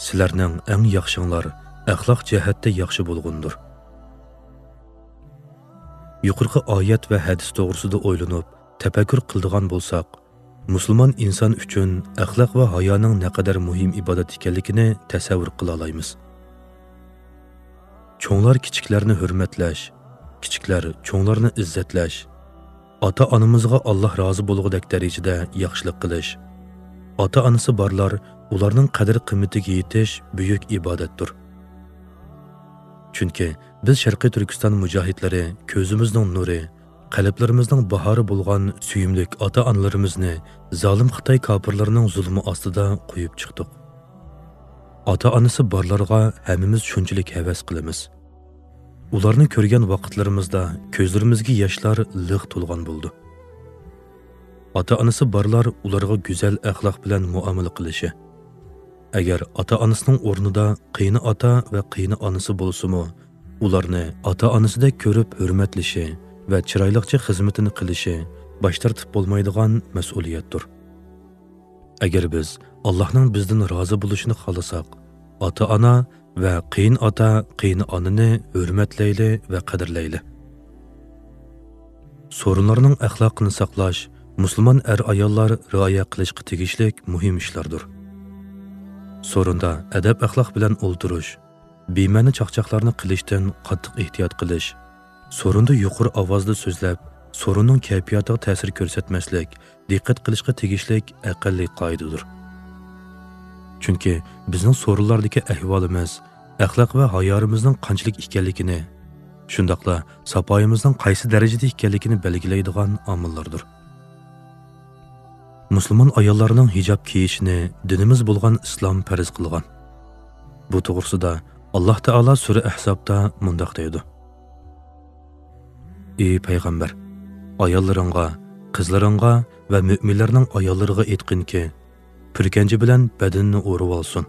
سىلەرنىڭ ئەڭ ياخشىڭلار ئەخلاق جەھەتتە ياخشى بولغىنىدۇر. يۇقىرىقى ئايەت ۋە ھەدىس توغرىسىدا ئويلىنىپ، تەپەككۇر قىلىدىغان بولساق، مۇسۇلمان ئىنسان ئۈچۈن ئەخلاق ۋە ھايانىڭ نەقەدەر مۇھىم ئىبادەت ئىكەنلىكىنى تەسەۋۋۇر قىلالايمىز. چوڭلار كىچىكلەرنى ھۆرمەتلەش، كىچىكلەر چوڭلارنى ئىززەتلەش، ئاتا-ئانىمىزغا ئاللاھ رازى بولغۇدەك دەرىجىدە ياخشىلىق قىلىش، ئاتا-ئانىسى بارلار ئۇلارنىڭ قەدىر-قىممىتىگە يېتىش بۈيۈك ئىبادەتتۇر. چۈنكى بىز شەرقىي تۈركىستان مۇجاھىدلىرى كۆزىمىزنىڭ نۇرى، قەلبلىرىمىزنىڭ باھارى بولغان سۆيۈملۈك ئاتا-ئانىلىرىمىزنى زالىم خىتاي كاپىرلىرىنىڭ زۇلمى ئاستىدا قويۇپ چىقتۇق. ئاتا-ئانىسى بارلارغا ھەممىمىز شۇنچىلىك ھەۋەس قىلىمىز. ئۇلارنى كۆرگەن ۋاقىتلىرىمىزدا كۆزلىرىمىزگە ياشلار لىق تولغان بولىدۇ. ئاتا-ئانىسى بارلار ئۇلارغا گۈزەل ئەخلاق بىلەن مۇئامىلە قىلىشى، ئەگەر ئاتا-ئانىسىنىڭ ئورنىدا قېيىنئاتا ۋە قېيىنئانىسى بولسىمۇ، ئۇلارنى ئاتا-ئانىسىدەك كۆرۈپ ھۆرمەتلىشى ۋە چىرايلىقچە خىزمىتىنى قىلىشى باش تارتىپ بولمايدىغان مەسئۇلىيەتتۇر. ئەگەر بىز ئاللاھنىڭ بىزدىن رازى بولۇشىنى خالىساق، ئاتا-ئانا ۋە قېيىنئاتا، قېيىنئانىنى ھۆرمەتلەيلى ۋە قەدىرلەيلى. سورۇنلارنىڭ ئەخلاقىنى ساقلاش مۇسۇلمان ئەر-ئاياللار رىئايە قىلىشقا تېگىشلىك مۇھىم ئىشلاردۇر. سورۇندا ئەدەپ-ئەخلاق بىلەن ئولتۇرۇش، بىمەنە چاقچاقلارنى قىلىشتىن قاتتىق ئېھتىيات قىلىش، سورۇندا يۇقىرى ئاۋازدا سۆزلەپ، سورۇننىڭ كەيپىياتىغا تەسىر كۆرسەتمەسلىك دىققەت قىلىشقا تېگىشلىك ئەقەللىي قائىدىدۇر. چۈنكى بىزنىڭ سورۇنلاردىكى ئەھۋالىمىز ئەخلاق ۋە ھايارىمىزنىڭ قانچىلىك ئىكەنلىكىنى، شۇنداقلا ساپايىمىزنىڭ قايسى دەرىجىدە ئىكەنلىكىنى بەلگىلەيدىغان ئامىللاردۇر. مۇسۇلمان ئاياللارنىڭ ھىجاب كىيىشىنى دىنىمىز بولغان ئىسلام پەرز قىلغان. بۇ توغرىسىدا ئاللاھ تائالا سۈرە ئەھزابتا مۇنداق دەيدۇ: ئى پەيغەمبەر، ئاياللىرىڭغا، قىزلىرىڭغا ۋە مۆمىنلەرنىڭ ئاياللىرىغا ئېيتقىنكى، پۈركەنجە بىلەن بەدىنىنى ئورىۋالسۇن.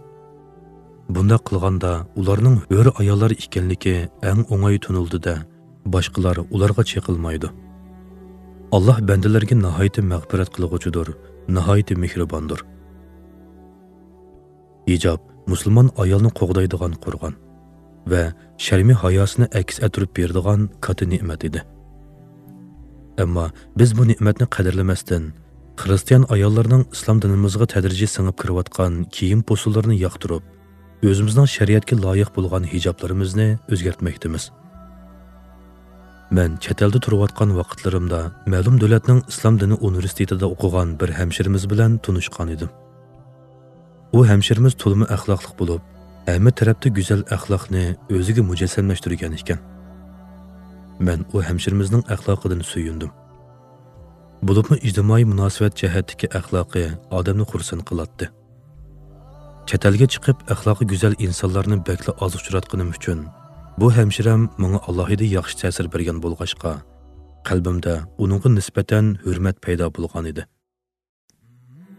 بۇنداق قىلغاندا ئۇلارنىڭ ھۆر ئاياللار ئىكەنلىكى ئەڭ ئوڭاي تونۇلىدۇ-دە، باشقىلار ئۇلارغا چېقىلمايدۇ. ئاللاھ بەندىلىرىگە ناھايىتى مەغپىرەت قىلغۇچىدۇر، ناھايىتى مېھرىباندۇر. ھىجاب مۇسۇلمان ئايالنى قوغدايدىغان قورغان. ۋە شەرمى ھاياسىنى ئەكس ئەتتۈرۈپ بېرىدىغان كاتتا نېمەت ئىدى. ئەمما بىز بۇ نېمەتنى قەدىرلىمەستىن، خىرىستىيان ئاياللارنىڭ ئىسلام دىنىمىزغا تەدرىجىي سىڭىپ كىرىۋاتقان كىيىم پوسۇنلىرىنى ياقتۇرۇپ، ئۆزىمىزنىڭ شەرىئەتكە لايىق بولغان ھىجابلىرىمىزنى ئۆزگەرتمەكتىمىز. مەن چەت ئەلدە تۇرۇۋاتقان ۋاقىتلىرىمدا مەلۇم دۆلەتنىڭ ئىسلام دىنى ئۇنىۋېرسىتېتىدا ئوقۇغان بىر ھەمشىرىمىز بىلەن تونۇشقان ئىدىم. ئۇ ھەمشىرىمىز تولىمۇ ئەخلاقلىق بولۇپ، ھەممە تەرەپتە گۈزەل ئەخلاقنى ئۆزىگە مۇجەسسەملەشتۈرگەن ئىكەن. مەن ئۇ ھەمشىرىمىزنىڭ ئەخلاقىدىن سۆيۈندۈم. بولۇپمۇ ئىجتىمائىي مۇناسىۋەت جەھەتتىكى ئەخلاقى ئادەمنى خۇرسەن قىلاتتى. چەت ئەلگە چىقىپ، ئەخلاقى گۈزەل ئىنسانلارنى بەكلا ئاز ئۇچراتقىنىم ئۈچۈن، بۇ ھەمشىرەم ماڭا ئالاھىدە ياخشى تەسىر بەرگەن بولغاچقا، قەلبىمدە ئۇنىڭغا نىسبەتەن ھۆرمەت پەيدا بولغان ئىدى.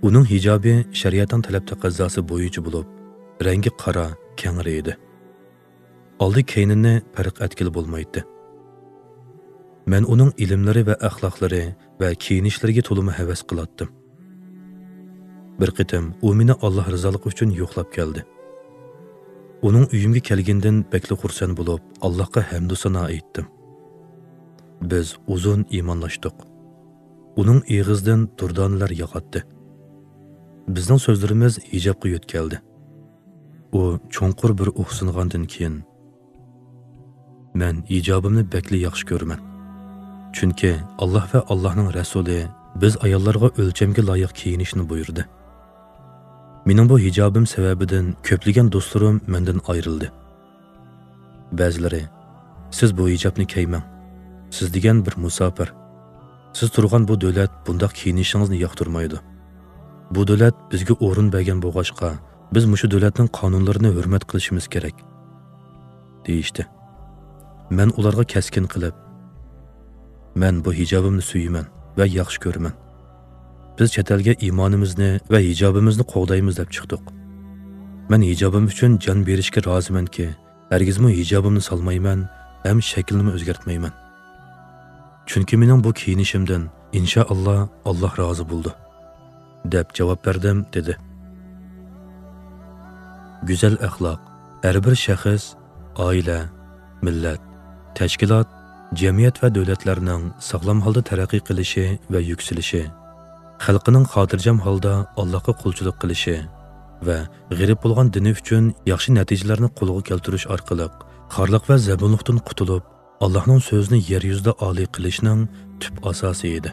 ئۇنىڭ ھىجابى شەرىئەتنىڭ تەلەپ تەقەززاسى بويىچە بولۇپ، رەڭگى قارا، كەڭرى ئىدى. ئالدى كەينىنى پەرق ئەتكىلى بولمايتتى. مەن ئۇنىڭ ئىلىملىرى ۋە ئەخلاقلىرى ۋە كىيىنىشلىرىگە تولىمۇ ھەۋەس قىلاتتىم. بىر قېتىم ئۇ مېنى ئاللاھ رىزالىقى ئۈچۈن يوقلاپ كەلدى. ئۇنىڭ ئۆيۈمگە كەلگىنىدىن بەكلا خۇرسەن بولۇپ، ئاللاھقا ھەمدۇ سانا ئېيتتىم. بىز ئۇزۇن ئىمانلاشتۇق. ئۇنىڭ ئېغىزىدىن دۇردانىلەر ياغاتتى. بىزنىڭ سۆزلىرىمىز ھىجابقا يۆتكەلدى. ئۇ چوڭقۇر بىر ئۇھسىنغاندىن كېيىن، مەن ھىجابىمنى بەكلا ياخشى كۆرىمەن. چۈنكى ئاللاھ ۋە ئاللاھنىڭ رەسۇلى بىز ئاياللارغا ئۆلچەمگە لايىق كىيىنىشنى بۇيرۇدى. مېنىڭ بۇ ھىجابىم سەۋەبىدىن كۆپلىگەن دوستلىرىم مەندىن ئايرىلدى. بەزىلىرى، «سىز بۇ ھىجابنى كىيمەڭ. سىز دېگەن بىر مۇساپىر. سىز تۇرغان بۇ دۆلەت بۇنداق كىيىنىشىڭىزنى ياقتۇرمايدۇ. بۇ دۆلەت بىزگە ئورۇن بەرگەن بولغاچقا، بىز مۇشۇ دۆلەتنىڭ قانۇنلىرىنى ھۆرمەت قىلىشىمىز كېرەك» دېيىشتى. مەن ئۇلارغا كەسكىن قىلىپ، «مەن بۇ ھىجابىمنى سۆيىمەن ۋە ياخشى كۆرىمەن. بىز چەت ئەلگە ئىمانىمىزنى ۋە ھىجابىمىزنى قوغدايمىز» دەپ چىقتۇق. مەن ھىجابىم ئۈچۈن جان بېرىشكە رازىمەنكى، ھەرگىزمۇ ھىجابىمنى سالمايمەن ھەم شەكلىنىمۇ ئۆزگەرتمەيمەن. چۈنكى مېنىڭ بۇ كىيىنىشىمدىن، ئىنشائاللا، ئاللاھ رازى بولىدۇ، دەپ جاۋاب بەردىم، دېدى. گۈزەل ئەخلاق ھەر بىر شەخس، ئائىلە، مىللەت، تەشكىلات، جەمئىيەت ۋە دۆلەتلەرنىڭ ساغلام ھالدا تەرەققىي قىلىشى ۋە يۈكسىلىشى، خەلقىنىڭ خاتىرجەم ھالدا ئاللاھقا قۇلچىلىق قىلىشى ۋە غېرىب بولغان دىنى ئۈچۈن ياخشى نەتىجىلەرنى قولغا كەلتۈرۈش ئارقىلىق خارلىق ۋە زەبۇنلۇقتىن قۇتۇلۇپ، ئاللاھنىڭ سۆزىنى يەر يۈزىدە ئالىي قىلىشنىڭ تۈپ ئاساسى ئىدى.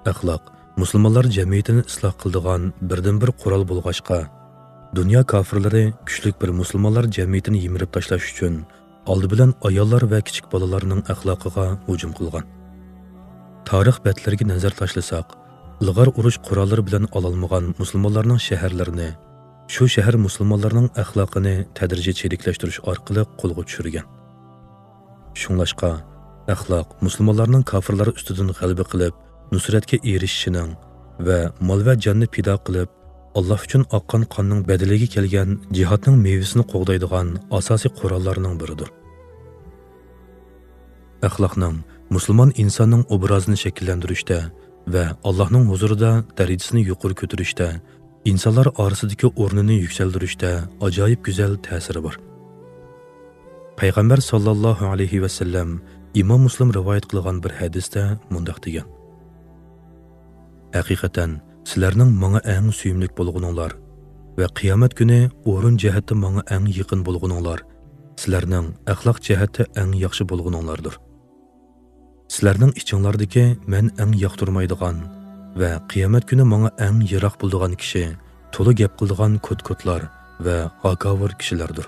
ئەخلاق مۇسۇلمانلار جەمئىيىتىنى ئىسلاھ قىلىدىغان بىردىنبىر قورال بولغاچقا، دۇنيا كاپىرلىرى كۈچلۈك بىر مۇسۇلمانلار جەمئىيىتىنى يىمىرىپ تاشلاش ئۈچۈن ئالدى بىلەن ئاياللار ۋە كىچىك بالىلارنىڭ ئەخلاقىغا ھۇجۇم قىلغان. تارىخ بەتلىرىگە نەزەر تاشلىساق، ئىلغار ئۇرۇش قوراللىرى بىلەن ئالالمىغان مۇسۇلمانلارنىڭ شەھەرلىرىنى، شۇ شەھەر مۇسۇلمانلارنىڭ ئەخلاقىنى تەدرىجىي چىرىكلەشتۈرۈش ئارقىلىق قولغا چۈشۈرگەن. شۇڭلاشقا، ئەخلاق مۇسۇلمانلارنىڭ كاپىرلار ئۈستىدىن غەلىبە قىلىپ، نۇسرەتكە ئېرىشىشىنىڭ ۋە مال ۋە جاننى پىدا قىلىپ، ئاللاھ ئۈچۈن ئاققان قاننىڭ بەدىلىگە كەلگەن جىھادنىڭ مېۋىسىنى قوغدايدىغان ئاساسىي قوراللارنىڭ بىرىدۇر. ئەخلاقنىڭ مۇسۇلمان ئىنساننىڭ ئوبرازىنى شەكىللەندۈرۈشتە ۋە ئاللاھنىڭ ھۇزۇرىدا دەرىجىسىنى يۇقىرى كۆتۈرۈشتە، ئىنسانلار ئارىسىدىكى ئورنىنى يۈكسەلدۈرۈشتە ئاجايىپ گۈزەل تەسىرى بار. پەيغەمبەر ساللاللاھۇ ئەلەيھى ۋەسەللەم ئىمام مۇسلىم رىۋايەت قىلغان بىر ھەدىستە مۇنداق دېگەن: «ھەقىقەتەن، سىلەرنىڭ ماڭا ئەڭ سۆيۈملۈك بولغىنىڭلار ۋە قىيامەت كۈنى ئورۇن جەھەتتە ماڭا ئەڭ يېقىن بولغىنىڭلار، سىلەرنىڭ ئەخلاق جەھەتتە ئەڭ ياخشى بولغىنىڭلاردۇر. سىلەرنىڭ ئىچىڭلاردىكى مەن ئەڭ ياقتۇرمايدىغان ۋە قىيامەت كۈنى ماڭا ئەڭ يىراق بولىدىغان كىشى تولا گەپ قىلىدىغان كوت-كوتلار ۋە ھاكاۋۇر كىشىلەردۇر.»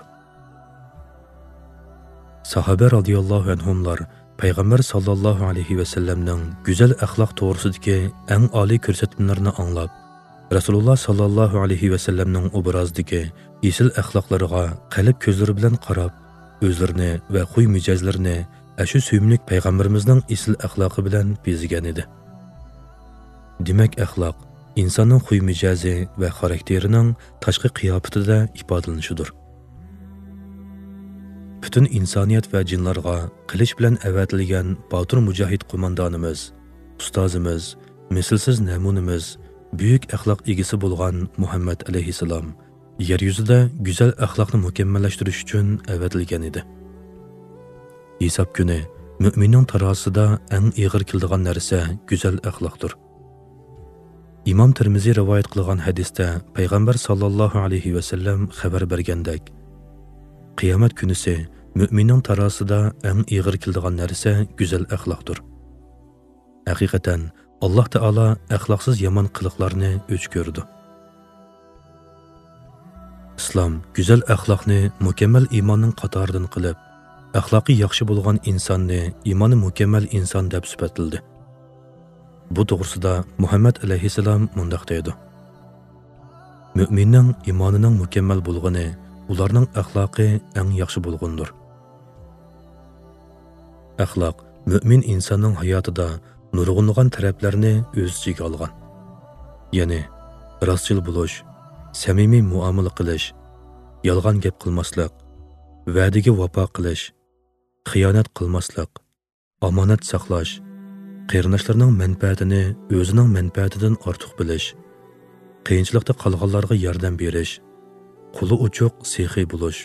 ساھابە رازىياللاھۇ ئەنھۇملار پەيغەمبەر ساللاللاھۇ ئەلەيھى ۋەسەللەمنىڭ گۈزەل ئەخلاق توغرىسىدىكى ئەڭ ئالىي كۆرسەتمىلىرىنى ئاڭلاپ، رەسۇلۇللا ساللاللاھۇ ئەلەيھى ۋەسەللەمنىڭ ئوبرازىدىكى ئېسىل ئەخلاقلىرىغا قەلب كۆزلىرى بىلەن قاراپ، ئۆزلىرىنى ۋە خۇي مىجەزلىرىنى ئەشۇ سۆيۈملۈك پەيغەمبىرىمىزنىڭ ئېسىل ئەخلاقى بىلەن بېزىگەن ئىدى. دېمەك، ئەخلاق ئىنساننىڭ خۇي مىجەزى ۋە خاراكتېرىنىڭ تاشقى قىياپىتىدە ئىپادىلىنىشىدۇر. پۈتۈن ئىنسانىيەت ۋە جىنلارغا قىلىچ بىلەن ئەۋەتىلگەن باتۇر مۇجاھىد قوماندانىمىز، ئۇستازىمىز، مىسلىسىز نەمۇنىمىز، بۈيۈك ئەخلاق ئىگىسى بولغان مۇھەممەد ئەلەيھىسسالام يەر يۈزىدە گۈزەل ئەخلاقنى مۇكەممەللەشتۈرۈش ئۈچۈن ئەۋەتىلگەن ئىدى. ھېساب كۈنى مۆمىننىڭ تارازىسىدا ئەڭ ئېغىر كېلىدىغان نەرسە گۈزەل ئەخلاقتۇر. ئىمام تىرمىزى رىۋايەت قىلغان ھەدىستە پەيغەمبەر ساللاللاھۇ ئەلەيھى ۋەسەللەم خەۋەر بەرگەندەك، قىيامەت كۈنىسى مۆمىننىڭ تارازىسىدا ئەڭ ئېغىر كېلىدىغان نەرسە گۈزەل ئەخلاقتۇر. ھەقىقەتەن، ئاللاھ تائالا ئەخلاقسىز يامان قىلىقلارنى ئۆچ كۆرىدۇ. ئىسلام گۈزەل ئەخلاقنى مۇكەممەل ئىماننىڭ قاتارىدىن قىلىپ، ئەخلاقى ياخشى بولغان ئىنساننى ئىمانى مۇكەممەل ئىنسان دەپ سۈپەتلىدى. بۇ توغرىسىدا مۇھەممەد ئەلەيھىسسالام مۇنداق دەيدۇ: مۆمىننىڭ ئىمانىنىڭ مۇكەممەل بولغىنى ئۇلارنىڭ ئەخلاقى ئەڭ ياخشى بولغىنىدۇر. ئەخلاق مۆمىن ئىنساننىڭ ھاياتىدا نۇرغۇنلىغان تەرەپلەرنى ئۆز ئىچىگە ئالغان. يەنى، راستچىل بولۇش، سەمىمىي مۇئامىلە قىلىش، يالغان گەپ قىلماسلىق، ۋەدىگە ۋاپا قىلىش، خىيانەت قىلماسلىق، ئامانەت ساقلاش، قېرىنداشلارنىڭ مەنپەئەتىنى ئۆزىنىڭ مەنپەئەتىدىن ئارتۇق بىلىش، قىيىنچىلىقتا قالغانلارغا ياردەم بېرىش، قولى ئوچۇق، سېخىي بولۇش،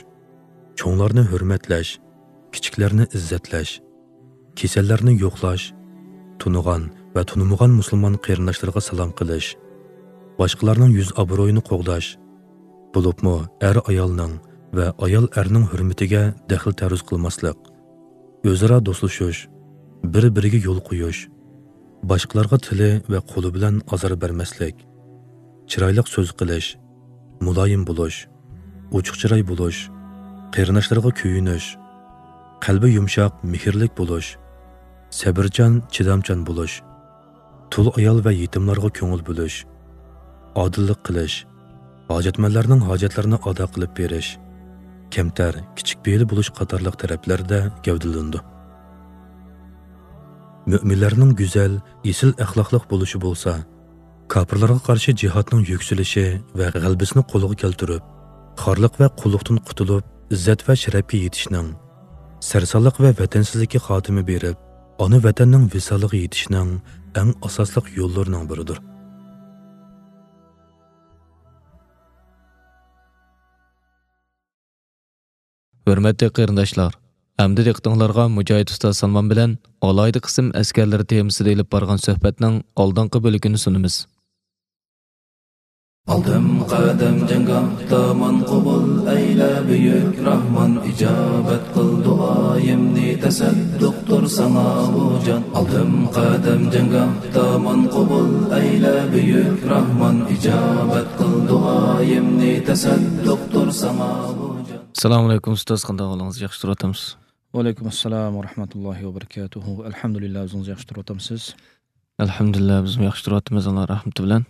چوڭلارنى ھۆرمەتلەش، كىچىكلەرنى ئىززەتلەش، كېسەللەرنى يوقلاش، تونۇغان ۋە تونۇمىغان مۇسۇلمان قېرىنداشلىرىغا سالام قىلىش، باشقىلارنىڭ يۈز ئابرۇيىنى قوغداش، بولۇپمۇ ئەر ئايالنىڭ ۋە ئايال ئەرنىڭ ھۆرمىتىگە دەخلى تەرۇز قىلماسلىق، ئۆزئارا دوستلىشىش، بىر-بىرىگە يول قويۇش، باشقىلارغا تىلى ۋە قولى بىلەن ئازار بەرمەسلىك، چىرايلىق سۆز قىلىش، مۇلايىم بولۇش، ئوچۇق چىراي بولۇش، قېرىنداشلىرىغا كۆيۈنۈش، قەلبى يۇمشاق، مېھىرلىك بولۇش، سەبرىچان، چىدامچان بولۇش، تۇل ئايال ۋە يېتىملارغا كۆڭۈل بۆلۈش، ئادىللىق قىلىش، ھاجەتمەنلەرنىڭ ھاجەتلىرىنى ئادا قىلىپ بېرىش، كەمتەر، كىچىك پېئىل بولۇش قاتارلىق تەرەپلەردە گەۋدىلىنىدۇ. مۆمىنلەرنىڭ گۈزەل، ئېسىل ئەخلاقلىق بولۇشى بولسا، كاپىرلارغا قارشى جىھادنىڭ يۈكسىلىشى ۋە غەلىبىسىنى قولغا كەلتۈرۈپ، خارلىق ۋە قۇللۇقتىن قۇتۇلۇپ، ئىززەت ۋە شەرەپكە يېتىشنىڭ، سەرسانلىق ۋە ۋەتەنسىزلىككە خاتىمە بېرىپ، ئانا ۋەتەننىڭ ۋىسالىغا يېتىشنىڭ ئەڭ ئاساسلىق يوللىرىنىڭ بىرىدۇر. ھۆرمەتلىك قېرىنداشلار، ئەمدى دىققىتىڭلارغا مۇجاھىد ئۇستاز سالمان بىلەن ئالاھىدە قىسىم ئەسكەرلىرى تېمىسىدا ئېلىپ بارغان سۆھبەتنىڭ ئالدىنقى بۆلىكىنى سۇنىمىز. ئالدىم قەدەم جەڭگاھدا ماڭقۇبۇل ئەيلە بۈيۈك راھمان، ئىجابەت قىل دۇئايىمنى، تەسەددۇقتۇر ساڭا بۇ جان. ئالدىم قەدەم جەڭگاھدا ماڭقۇبۇل ئەيلە بۈيۈك راھمان، ئىجابەت قىل دۇئايىمنى، تەسەددۇقتۇر ساڭا بۇ جان. ئەسسالامۇ ئەلەيكۇم ئۇستاز، قانداق ئەھۋالىڭىز؟ ياخشى تۇرۇۋاتامسىز؟ ۋەئەلەيكۇم ئەسسالام ۋە رەھمەتۇللاھى ۋە بەرىكاتۇھۇ. ئەلھەمدۇلىللا، ئۆزىڭىز ياخشى تۇرۇۋاتامسىز؟ ئەلھەمدۇلىللا، بىزمۇ ياخشى تۇرۇۋاتىمىز، ئاللا رەھمىتى بىلەن.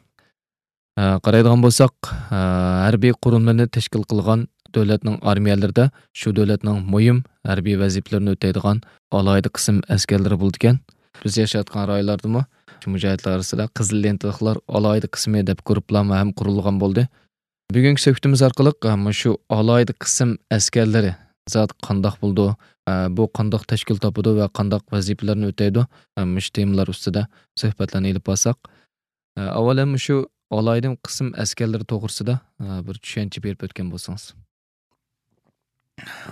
ئە، قارايدىغان بولساق، ئە، ھەربىي قۇرۇلمىنى تەشكىل قىلغان دۆلەتنىڭ ئارمىيەلىرىدە شۇ دۆلەتنىڭ مۇھىم ھەربىي ۋەزىپىلىرىنى ئۆتەيدىغان ئالاھىدە قىسىم ئەسكەرلىرى بولىدىكەن. بىز ياشايدىغان رايونلاردىمۇ شۇ مۇجاھىدلار ئارىسىدا قىزىل لېنتىلىقلار ئالاھىدە قىسمى دەپ گۇرۇپپىلارمۇ ھەم قۇرۇلغان بولدى. بۈگۈنكى سۆھبىتىمىز ئارقىلىق، ئە، مۇشۇ ئالاھىدە قىسىم ئەسكەرلىرى زادى قانداق بولىدۇ، ئە، بۇ قانداق تەشكىل تاپىدۇ ۋە قانداق ۋەزىپىلەرنى ئۆتەيدۇ، ئە، مۇشۇ تېمىلار ئۈستىدە سۆھبەتلەرنى ئېلىپ بارساق. ئە، ئاۋۋال ھەم مۇشۇ ئالاھىدە قىسىم ئەسكەرلىرى توغرىسىدا، ئە، بىر چۈشەنچە بېرىپ ئۆتكەن بولسىڭىز.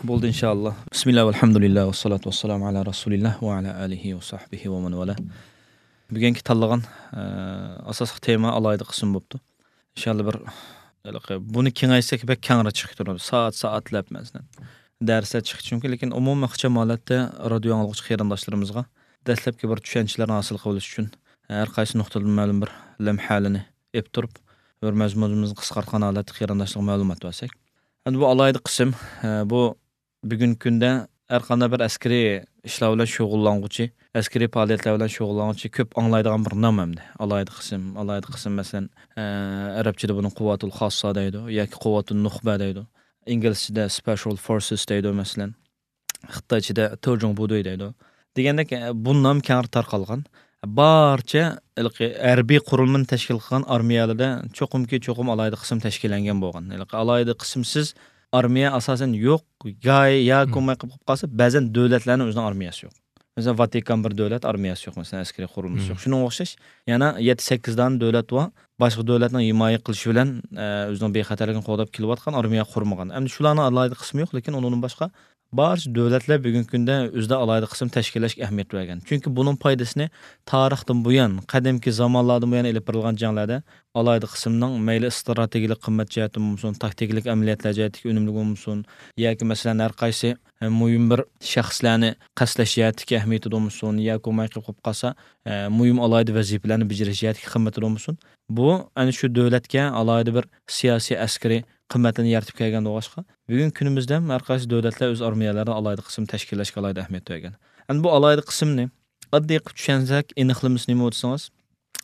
بولدى، ئىنشائاللا. بىسمىللا، ۋەلھەمدۇلىللا، ۋەسسالاتۇ ۋەسسالامۇ ئەلا رەسۇلىللا ۋە ئەلا ئالىھى ۋە سەھبىھى ۋە مەن ۋالا. بۈگۈنكى تاللىغان، ئە، ئاساسلىق تېما ئالاھىدە قىسىم بوپتۇ. ئىنشائاللا بىر، ھېلىقى، بۇنى كېڭەيتسەك بەك كەڭرى چىقىپ تۇرىدۇ. سائەت، سائەتلەپ مەسىلەن دەرسلەر چىقىشى مۇمكىن، لېكىن ئومۇمىي ئىخچام ھالەتتە رادىيو ئاڭلىغۇچى قېرىنداشلىرىمىزغا دەسلەپكى بىر چۈشەنچىلەرنى ھاسىل قىلىۋېلىش ئۈچۈن ھەر قايسى نۇقتىدىن مەلۇم بىر لەمھەلىنى ئېلىپ تۇرۇپ، بىر مەزمۇنىمىزنى قىسقارتقان ھالەتتە قېرىنداشلارغا مەلۇمات بەرسەك. ئەمدى بۇ ئالاھىدە قىسىم، ئە، بۇ بۈگۈنكى كۈندە ھەر قانداق بىر ئەسكىرىي ئىشلار بىلەن شۇغۇللانغۇچى، ئەسكىرىي پائالىيەتلەر بىلەن شۇغۇللانغۇچى كۆپ ئاڭلايدىغان بىر نام ئەمدى. ئالاھىدە قىسىم، ئالاھىدە قىسىم، مەسىلەن، ئە، ئەرەبچىدە بۇنى قۇۋۋەتۇل خاسسا دەيدۇ ياكى قۇۋۋەتۇن نۇخبە دەيدۇ. ئىنگلىزچىدە سپېشال فورسېس دەيدۇ، مەسىلەن. خىتايچىدە تېجۇڭبۇدۇي دەيدۇ. دېگەندەك، ئە، بۇ نام كەڭرى تارقالغان. بارچە ھېلىقى ھەربىي قۇرۇلمىنى تەشكىل قىلغان ئارمىيەلەردە چوقۇمكى چوقۇم ئالاھىدە قىسىم تەشكىللەنگەن بولغان. ھېلىقى ئالاھىدە قىسىمسىز ئارمىيە ئاساسەن يوق، گاي ياكى مم. بولماي قېلىپ قالسا، بەزەن دۆلەتلەرنىڭ ئۆزىنىڭ ئارمىيەسى يوق. مەسىلەن، ۋاتىكان بىر دۆلەت، ئارمىيەسى يوق، مەسىلەن، ئەسكىرىي قۇرۇلمىسى يوق. شۇنىڭغا ئوخشاش يەنە يەتتە سەككىز دانە دۆلەت بار، باشقا دۆلەتنىڭ ھىمايە قىلىشى بىلەن، ئە، ئۆزىنىڭ بىخەتەرلىكىنى قوغداپ كېلىۋاتقان، ئارمىيە قۇرمىغان. ئەمدى شۇلارنىڭ ئالاھىدە قىسمى يوق، لېكىن ئۇنىڭدىن باشقا بارچە دۆلەتلەر بۈگۈنكى كۈندە ئۆزىدە ئالاھىدە قىسىم تەشكىللەشكە ئەھمىيەت بەرگەن. چۈنكى بۇنىڭ پايدىسىنى تارىختىن بۇيان، قەدىمكى زامانلاردىن بۇيان ئېلىپ بېرىلغان جەڭلەردە ئالاھىدە قىسىمنىڭ مەيلى ئىستراتېگىيەلىك قىممەت جەھەتتىن بولمىسۇن، تاكتىكىلىق ئەمەلىيەتلەر جەھەتتىكى ئۈنۈملۈكى بولمىسۇن ياكى مەسىلەن ھەر قايسى، ئە، مۇھىم بىر شەخسلەرنى قەستلەش جەھەتتىكى ئەھمىيىتى بولمىسۇن ياكى بولماي قېلىپ قالسا، ئە، مۇھىم ئالاھىدە ۋەزىپىلەرنى بېجىرىش جەھەتتىكى قىممىتى بولمىسۇن، بۇ ئەنە شۇ دۆلەتكە ئالاھىدە بىر سىياسىي، ئەسكىرىي قىممەتلىرىنى يارىتىپ كەلگەندىن باشقا، بۈگۈنكى كۈنىمىزدە ھەم ھەر قايسى دۆلەتلەر ئۆز ئارمىيەلىرىنى ئالاھىدە قىسىم تەشكىللەشكە ئالاھىدە ئەھمىيەت بەرگەن. ئەمدى بۇ ئالاھىدە قىسىمنى ئاددىي قىلىپ چۈشەنسەك، ئېنىقلىمىسى نېمە دېسىڭىز،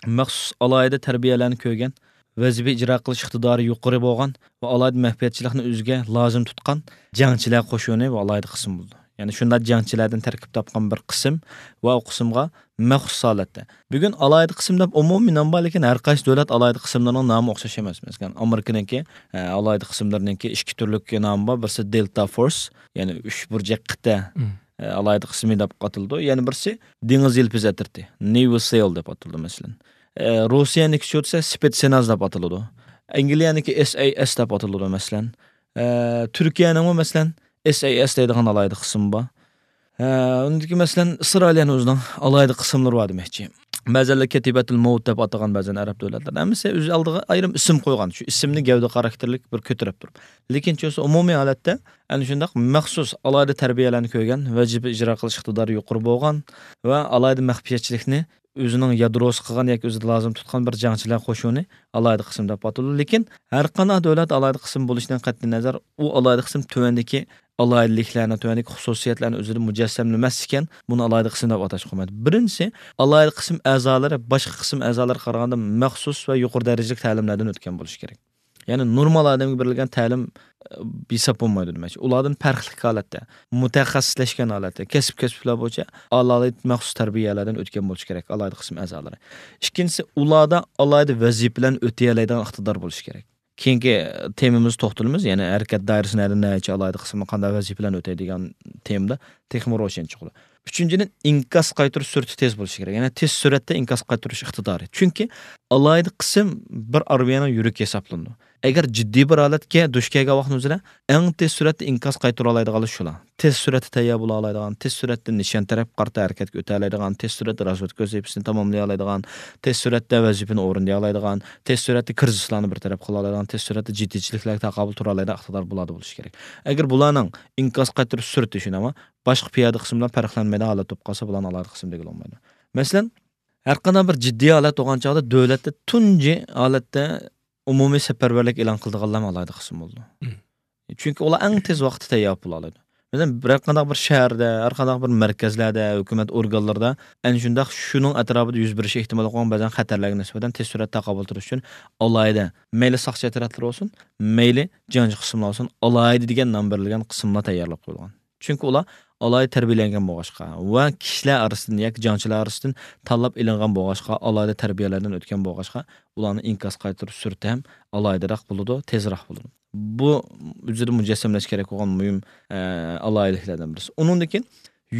مەخسۇس ئالاھىدە تەربىيەلەرنى كۆرگەن، ۋەزىپە ئىجرا قىلىش ئىقتىدارى يۇقىرى بولغان ۋە ئالاھىدە مەخپىيەتچىلىكنى ئۆزىگە لازىم تۇتقان جەڭچىلەر قوشۇنى بۇ ئالاھىدە قىسىم بولىدۇ. يەنى شۇنداق جەڭچىلەردىن تەركىب تاپقان بىر قىسىم ۋە ئۇ قىسىمغا مەخسۇس ھالەتتە. بۈگۈن ئالاھىدە قىسىم دەپ ئومۇمىي نام بار، لېكىن ھەر قايسى دۆلەت ئالاھىدە قىسىملىرىنىڭ نامى ئوخشاش ئەمەس. مەسىلەن، ئامېرىكىنىڭكى، ئە، ئالاھىدە قىسىملىرىنىڭكى ئىككى تۈرلۈك نامى بار. بىرسى دېلتا فورس، يەنى ئۈچ بۇرجەك قىتئە، ئە، ئالاھىدە قىسمى دەپ ئاتىلىدۇ. يەنە بىرسى دېڭىز يىلپىزى ئەترىتى، نېۋى سېل دەپ ئاتىلىدۇ، مەسىلەن. ئە، روسىيەنىڭكى شۇ دېسە سپېتسناز دەپ ئاتىلىدۇ. ئەنگلىيەنىڭكى ئېس ئەي ئېس دەپ ئاتىلىدۇ، مەسىلەن. ئە، تۈركىيەنىڭمۇ، مەسىلەن، ئېس ئەي ئېس دەيدىغان ئالاھىدە قىسمى بار. ئە، ئۇندىكى، مەسىلەن، ئىسرائىلىيەنىڭ ئۆزىنىڭ ئالاھىدە قىسىملىرى بار دېمەكچى. بەزەنلەر كەتىبەتۇل مەۋت دەپ ئاتىغان بەزەن ئەرەب دۆلەتلەردە. ھەممىسى ئۆز ئالدىغا ئايرىم ئىسىم قويغان. شۇ ئىسىمنى گەۋدە خاراكتېرلىك بىر كۆتۈرۈپ تۇرۇپ. لېكىن چۈنكى ئومۇمىي ھالەتتە ئەنە شۇنداق مەخسۇس ئالاھىدە تەربىيەلەرنى كۆرگەن، ۋەزىپە ئىجرا قىلىش ئىقتىدارى يۇقىرى بولغان ۋە ئالاھىدە مەخپىيەتچىلىكنى ئۆزىنىڭ يادروسى قىلغان ياكى ئۆزىدە لازىم تۇتقان بىر جەڭچىلەر قوشۇنى ئالاھىدە قىسىم دەپ ئاتىلىدۇ. لېكىن ھەر قانداق دۆلەت ئالاھىدە قىسىم بولۇشىدىن قەتئىينەزەر، ئۇ ئالاھىدە قىسىم تۆۋەندىكى ئالاھىدىلىكلەرنى، تۆۋەندىكى خۇسۇسىيەتلەرنى ئۆزىدە مۇجەسسەملىمەس ئىكەن، بۇنى ئالاھىدە قىسىم دەپ ئاتاشقا بولمايدۇ. بىرىنچىسى، ئالاھىدە قىسىم ئەزالىرى باشقا قىسىم ئەزالىرىغا قارىغاندا مەخسۇس ۋە يۇقىرى دەرىجىلىك تەلىملەردىن ئۆتكەن بولۇشى كېرەك. يەنى نورمال ئادەمگە بېرىلگەن تەلىم، ئە، ھېساب بولمايدۇ دېمەكچى. ئۇلاردىن پەرقلىق ھالەتتە، مۇتەخەسسىسلەشكەن ھالەتتە، كەسىپ-كەسىپلەر بويىچە ئالاھىدە مەخسۇس تەربىيەلەردىن ئۆتكەن بولۇشى كېرەك ئالاھىدە قىسىم ئەزالىرى. ئىككىنچىسى، ئۇلاردا ئالاھىدە ۋەزىپىلەرنى ئۆتىيەلەيدىغان ئىقتىدار بولۇشى كېرەك. كېيىنكى تېمىمىزدا توختىلىمىز، يەنى ھەرىكەت دائىرىسى نەدىن نەچچە ئالاھىدە قىسىمنى قانداق ۋەزىپىلەرنى ئۆتەيدىغان تېمىدا تېخىمۇ روشەن چىقىدۇ. ئۈچىنچىدىن، ئىنكاس قايتۇرۇش سۈرئىتى تېز بولۇشى كېرەك. يەنى تېز سۈرئەتتە ئىنكاس قايتۇرۇش ئىقتىدارى. چۈنكى ئالاھىدە قىسىم بىر ئارمىيەنىڭ يۈرىكى ھېسابلىنىدۇ. ئەگەر جىددىي بىر ھالەتكە دۇچ كەلگەن ۋاقتىمىزدا ئەڭ تېز سۈرئەتتە ئىنكاس قايتۇرالايدىغانلار شۇلار. تېز سۈرئەتتە تەييار بولالايدىغان، تېز سۈرئەتتە نىشان تەرەپكە قارىتا ھەرىكەتكە ئۆتەلەيدىغان، تېز سۈرئەتتە رازۋېدكا ۋەزىپىسىنى تاماملىيالايدىغان، تېز سۈرئەتتە ۋەزىپىنى ئورۇندىيالايدىغان، تېز سۈرئەتتە كىرىزىسلارنى بىر تەرەپ قىلالايدىغان، تېز سۈرئەتتە جىددىيچىلىكلەرگە تاقابىل تۇرالايدىغان ئىقتىدار بۇلاردا بولۇشى كېرەك. ئەگەر بۇلارنىڭ ئىنكاس قايتۇرۇش سۈرئىتى شۇنداقمۇ باشقا پىيادە قىسىم بىلەن پەرقلەنمەيدىغان ھالەتتە بولۇپ قالسا، بۇلارنى ئالاھىدە قىسىم دېگىلى بولمايدۇ. مەسىلەن، ھەر قانداق بىر جىددىي ھالەت بولغان چاغدا دۆلەتتە تۇنجى ھالەتتە ئومۇمىي سەپەرۋەرلىك ئېلان قىلىدىغانلارمۇ ئالاھىدە قىسىم بولىدۇ. چۈنكى ئۇلار ئەڭ تېز ۋاقىتتا تەييار بولالايدۇ. مەسىلەن، بىر قانداق بىر شەھەردە، ھەر قانداق بىر مەركەزلەردە، ھۆكۈمەت ئورگانلىرىدا ئەنە شۇنداق شۇنىڭ ئەتراپىدا يۈز بېرىشى ئېھتىمال بولغان بەزەن خەتەرلەرگە نىسبەتەن تېز سۈرئەتتە تاقابىل تۇرۇش ئۈچۈن ئالاھىدە، مەيلى ساقچى ئەترەتلىرى بولسۇن، مەيلى جەڭچى قىسىملار بولسۇن، ئالاھىدە دېگەن نام بېرىلگەن قىسىملار تەييارلاپ قويۇلغان. چۈنكى ئۇلار ئالاھىدە تەربىيەلەنگەن بولغاچقا ۋە كىشىلەر ئارىسىدىن ياكى جەڭچىلەر ئارىسىدىن تاللاپ ئېلىنغان بولغاچقا، ئالاھىدە تەربىيەلەردىن ئۆتكەن بولغاچقا، ئۇلارنىڭ ئىنكاس قايتۇرۇش سۈرئىتى ھەم ئالاھىدىراق بولىدۇ، تېزراق بولىدۇ. بۇ ئۆزىدە مۇجەسسەملەش كېرەك بولغان مۇھىم، ئە، ئالاھىدىلىكلەردىن بىرسى. ئۇنىڭدىن كېيىن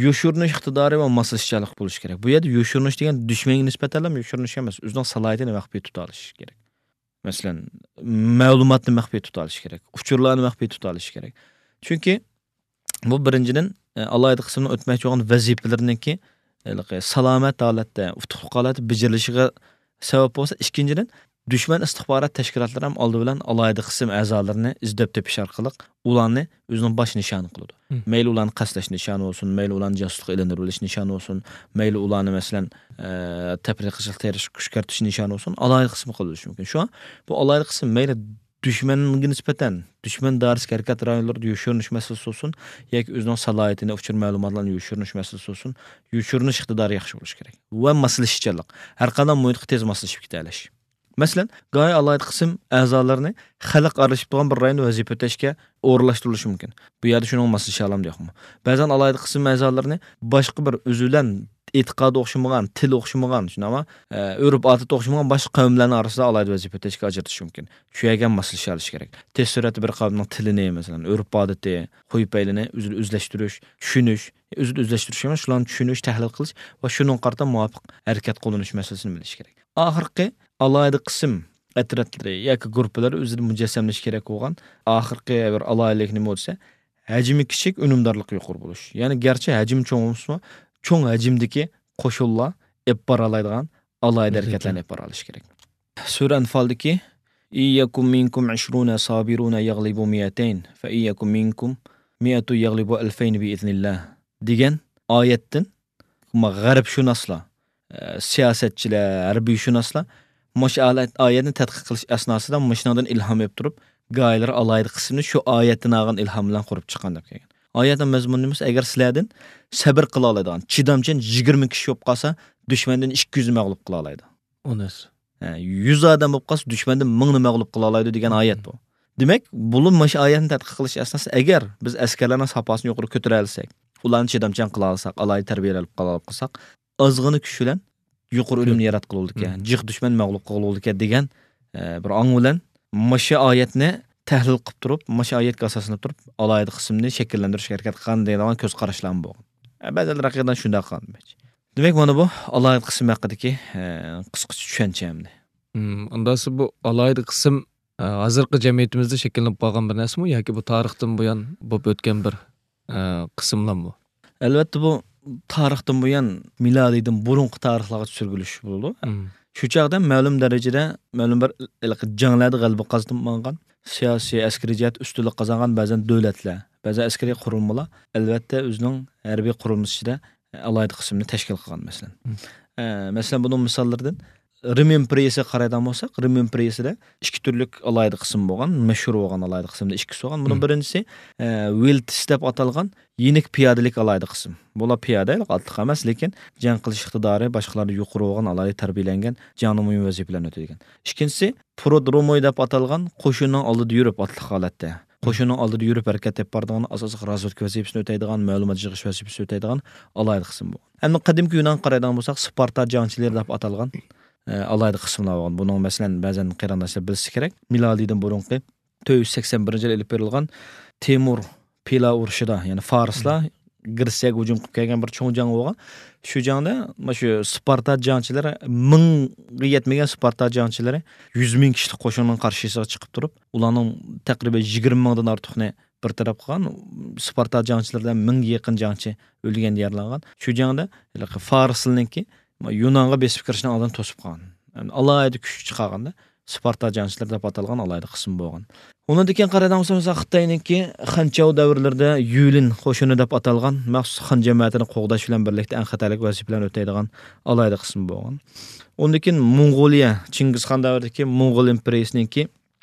يوشۇرۇنۇش ئىقتىدارى ۋە ماسلىشىشچانلىق بولۇشى كېرەك. بۇ يەردە يوشۇرۇنۇش دېگەن دۈشمەنگە نىسبەتەنلا يوشۇرۇنۇش ئەمەس، ئۆزىنىڭ سالاھىيىتىنى مەخپىي تۇتالىشى كېرەك. مەسىلەن، مەلۇماتنى مەخپىي تۇتالىشى كېرەك، ئۇچۇرلارنى مەخپىي تۇتالىشى كېرەك. چۈنكى بۇ بىرىنچىدىن، ئە، ئالاھىدە قىسىمنىڭ ئۆتمەكچى بولغان ۋەزىپىلىرىنىڭكى، ھېلىقى سالامەت ھالەتتە، ئۇتۇقلۇق ھالەتتە بېجىرىلىشىغا سەۋەب بولسا، ئىككىنچىدىن، دۈشمەن ئىستىخبارات تەشكىلاتلىرى ھەم ئالدى بىلەن ئالاھىدە قىسىم ئەزالىرىنى ئىزدەپ تېپىش ئارقىلىق ئۇلارنى ئۆزىنىڭ باش نىشانى قىلىدۇ. مەيلى ئۇلارنى قەستلەش نىشانى بولسۇن، مەيلى ئۇلارنى جاسۇسلۇققا ئېلىندۇرۇۋېلىش نىشانى بولسۇن، مەيلى ئۇلارنى، مەسىلەن، ئە، تەپرىقىچىلىق تېرىشقا كۈشكۈرتۈش نىشانى بولسۇن، ئالاھىدە قىسىم قىلىۋېلىشى مۇمكىن. شۇڭا بۇ ئالاھىدە قىسىم مەيلى دۈشمەنگە نىسبەتەن، دۈشمەن دائىرىسىدىكى ھەرىكەت رايونلىرىدا يوشۇرۇنۇش مەسىلىسى بولسۇن ياكى ئۆزىنىڭ سالاھىيىتىنى، ئۇچۇر مەلۇماتلارنى يوشۇرۇنۇش مەسىلىسى بولسۇن، يوشۇرۇنۇش ئىقتىدارى ياخشى بولۇشى كېرەك ۋە ماسلىشىشچانلىق، ھەر قانداق مۇھىتقا تېز ماسلىشىپ كېتەلەش. مەسىلەن، گاھى ئالاھىدە قىسىم ئەزالىرىنى خەلق ئارىلىشىپ تۇرغان بىر رايوندا ۋەزىپە ئۆتەشكە ئورۇنلاشتۇرۇلۇشى مۇمكىن. بۇ يەردە شۇنىڭغا ماسلىشالامدۇ يوقمۇ؟ بەزەن ئالاھىدە قىسىم ئەزالىرىنى باشقا بىر ئۆزى بىلەن ئېتىقادى ئوخشىمىغان، تىلى ئوخشىمىغان، شۇنداقمۇ، ئە، ئۆرپ-ئادىتى ئوخشىمىغان باشقا قەۋملەرنىڭ ئارىسىدا ئالاھىدە ۋەزىپە ئۆتەشكە ئاجرىتىش مۇمكىن. شۇ يەرگە ماسلىشالىشى كېرەك. تېز سۈرئەتتە بىر قەۋمنىڭ تىلىنى، مەسىلەن، ئۆرپ-ئادىتى، خۇي-پەيلىنى ئۆز-، ئۆزلەشتۈرۈش، چۈشىنىش، ئۆز-، ئۆزلەشتۈرۈش ئەمەس، شۇلارنى چۈشىنىش، تەھلىل قىلىش ۋە شۇنىڭغا قارىتا مۇۋاپىق ھەرىكەت قوللىنىش مەسىلىسىنى بىلىش كېرەك. ئاخىرقى ئالاھىدە قىسىم ئەترەتلىرى ياكى گۇرۇپپىلىرى ئۆزىدە مۇجەسسەملىشىش كېرەك بولغان ئاخىرقى بىر ئالاھىدىلىك نېمە دېسە، ھەجمى كىچىك، ئۈنۈمدارلىقى يۇقىرى بولۇش. يەنى گەرچە ھەجمى چوڭ بولمىسىمۇ، چوڭ ھەجىمدىكى قوشۇنلار ئېلىپ بارالايدىغان ئالاھىدە ھەرىكەتلەرنى ئېلىپ بارالىشى كېرەك. سۈرە ئەنفالدىكى، «إن يكن منكم عشرون صابرون يغلبوا مئتين، فإن يكن منكم مئة يغلبوا ألفين بإذن الله» دېگەن ئايەتتىن، ما، غەربشۇناسلار، ئە، سىياسەتچىلەر، ھەربىيشۇناسلار مۇشۇ ئالەت-، ئايەتنى تەتقىق قىلىش ئەسناسىدا مۇشۇنىڭدىن ئىلھام ئېلىپ تۇرۇپ، گاھىلىرى ئالاھىدە قىسىمنى شۇ ئايەتتىن ئالغان ئىلھام بىلەن قۇرۇپ چىققان دەپ كەلگەن. ئايەتنىڭ مەزمۇنى نېمە دېسە، ئەگەر سىلەردىن سەبىر قىلالايدىغان، چىدامچان يىگىرمە كىشى بولۇپ قالسا، دۈشمەندىن ئىككى يۈزنى مەغلۇپ قىلالايدۇ. ئۇنىس. ھە، يۈز ئادەم بولۇپ قالسا، دۈشمەندىن مىڭنى مەغلۇپ قىلالايدۇ دېگەن ئايەت بۇ. دېمەك، بۇلار مۇشۇ ئايەتنى تەتقىق قىلىش ئەسناسىدا، ئەگەر بىز ئەسكەرلەرنىڭ ساپاسىنى يۇقىرى كۆتۈرەلىسەك، ئۇلارنى چىدامچان قىلالىساق، ئالاھىدە تەربىيەلەپ قالساق، ئازغىنا كۈچ بىلەن يۇقىرى ئۈنۈمنى ياراتقىلى بولىدىكەن، جىق دۈشمەن مەغلۇپ قىلغىلى بولىدىكەن دېگەن، ئە، بىر ئاڭ بىلەن مۇشۇ ئايەتنى تەھلىل قىلىپ تۇرۇپ، مۇشۇ ئايەتكە ئاساسلىنىپ تۇرۇپ، ئالاھىدە قىسىمنى شەكىللەندۈرۈشكە ھەرىكەت قىلغان دەيدىغان كۆز قاراشلارمۇ بولغان. ئە، بەزىلەر ھەقىقەتەن شۇنداق قىلغان. دېمەك، مانا بۇ ئالاھىدە قىسىم ھەققىدىكى، ئە، قىسقىچە چۈشەنچە ئەمدى. مم، ئۇنداقسا بۇ ئالاھىدە قىسىم، ئە، ھازىرقى جەمئىيىتىمىزدە شەكىللىنىپ قالغان بىر نەرسىمۇ ياكى بۇ تارىختىن بۇيان بولۇپ ئۆتكەن بىر، ئە، قىسىملارمۇ؟ ئەلۋەتتە، بۇ تارىختىن بۇيان، مىلادىيدىن بۇرۇنقى تارىخلارغا سۈرگۈلۈش بولىدۇ. مم. شۇ چاغدا مەلۇم دەرىجىدە، مەلۇم بىر ھېلىقى جەڭلەردە غەلىبە قازىنىپ ماڭغان، سىياسىي، ئەسكىرىي جەھەتتە ئۈستۈنلۈك قازانغان بەزەن دۆلەتلەر، بەزەن ئەسكىرىي قۇرۇلمىلار، ئەلۋەتتە، ئۆزىنىڭ ھەربىي قۇرۇلمىسى ئىچىدە ئالاھىدە قىسىمنى تەشكىل قىلغان، مەسىلەن. مم. ئە، مەسىلەن، بۇنىڭ مىساللىرىدىن رىم ئىمپېرىيىسىگە قارايدىغان بولساق، رىم ئىمپېرىيىسىدە ئىككى تۈرلۈك ئالاھىدە قىسىم بولغان، مەشھۇر بولغان ئالاھىدە قىسىمدا ئىككىسى بولغان. بۇنىڭ مم. بىرىنچىسى، ئە، ۋىلتس دەپ ئاتالغان يېنىك پىيادىلىك ئالاھىدە قىسىم. بۇلار پىيادە، ئاتلىق ئەمەس، لېكىن جەڭ قىلىش ئىقتىدارى باشقىلاردىن يۇقىرى بولغان، ئالاھىدە تەربىيەلەنگەن، جەڭدە مۇھىم ۋەزىپىلەرنى ئۆتەيدىغان. ئىككىنچىسى، پرودروموي دەپ ئاتالغان قوشۇننىڭ ئالدىدا يۈرۈپ، ئاتلىق ھالەتتە. قوشۇننىڭ ئالدىدا يۈرۈپ ھەرىكەت ئېلىپ بارىدىغان، ئاساسلىق رازۋېدكا ۋەزىپىسىنى ئۆتەيدىغان، مەلۇمات يىغىش ۋەزىپىسىنى ئۆتەيدىغان ئالاھىدە قىسىم بۇ. ئەمدى قەدىمكى يۇنانغا قارايدىغان بولساق، سپارتا جەڭچىلىرى دەپ ئاتالغان، ئە، ئالاھىدە قىسىملار بولغان. بۇنىڭ، مەسىلەن، بەزەن قېرىنداشلار بىلسە كېرەك، مىلادىيدىن بۇرۇنقى تۆت يۈز سەكسەن بىرىنچى يىل ئېلىپ بېرىلغان تېمۇر پىلا ئۇرۇشىدا، يەنى فارسلار گرېتسىيەگە ھۇجۇم قىلىپ كەلگەن بىر چوڭ جەڭ بولغان. شۇ جەڭدە مانا شۇ سپارتا جەڭچىلىرى، مىڭغا يەتمىگەن سپارتا جەڭچىلىرى يۈز مىڭ كىشىلىك قوشۇننىڭ قارشىسىغا چىقىپ تۇرۇپ، ئۇلارنىڭ تەقرىبەن يىگىرمە مىڭدىن ئارتۇقنى بىر تەرەپ قىلغان. سپارتا جەڭچىلىرىدە مىڭغا يېقىن جەڭچى ئۆلگەن، يارىلانغان. شۇ جەڭدە ھېلىقى فارسلىنىڭكى يۇنانغا بېسىپ كىرىشنىڭ ئالدىنى توسۇپ قالغان. يەنى ئالاھىدە كۈچ چىقارغاندا، سپارتا جەڭچىلىرى دەپ ئاتالغان ئالاھىدە قىسىم بولغان. ئۇنىڭدىن كېيىن قارايدىغان بولساق، مەسىلەن، خىتاينىڭكى خەنچاۋ دەۋرلىرىدە يۈلىن قوشۇنى دەپ ئاتالغان مەخسۇس خان جەمەتىنى قوغداش بىلەن بىرلىكتە ئەڭ خەتەرلىك ۋەزىپىلەرنى ئۆتەيدىغان ئالاھىدە قىسىم بولغان. ئۇنىڭدىن كېيىن موڭغۇلىيە، چىڭگىزخان دەۋرىدىكى موڭغۇل ئىمپېرىيىسىنىڭكى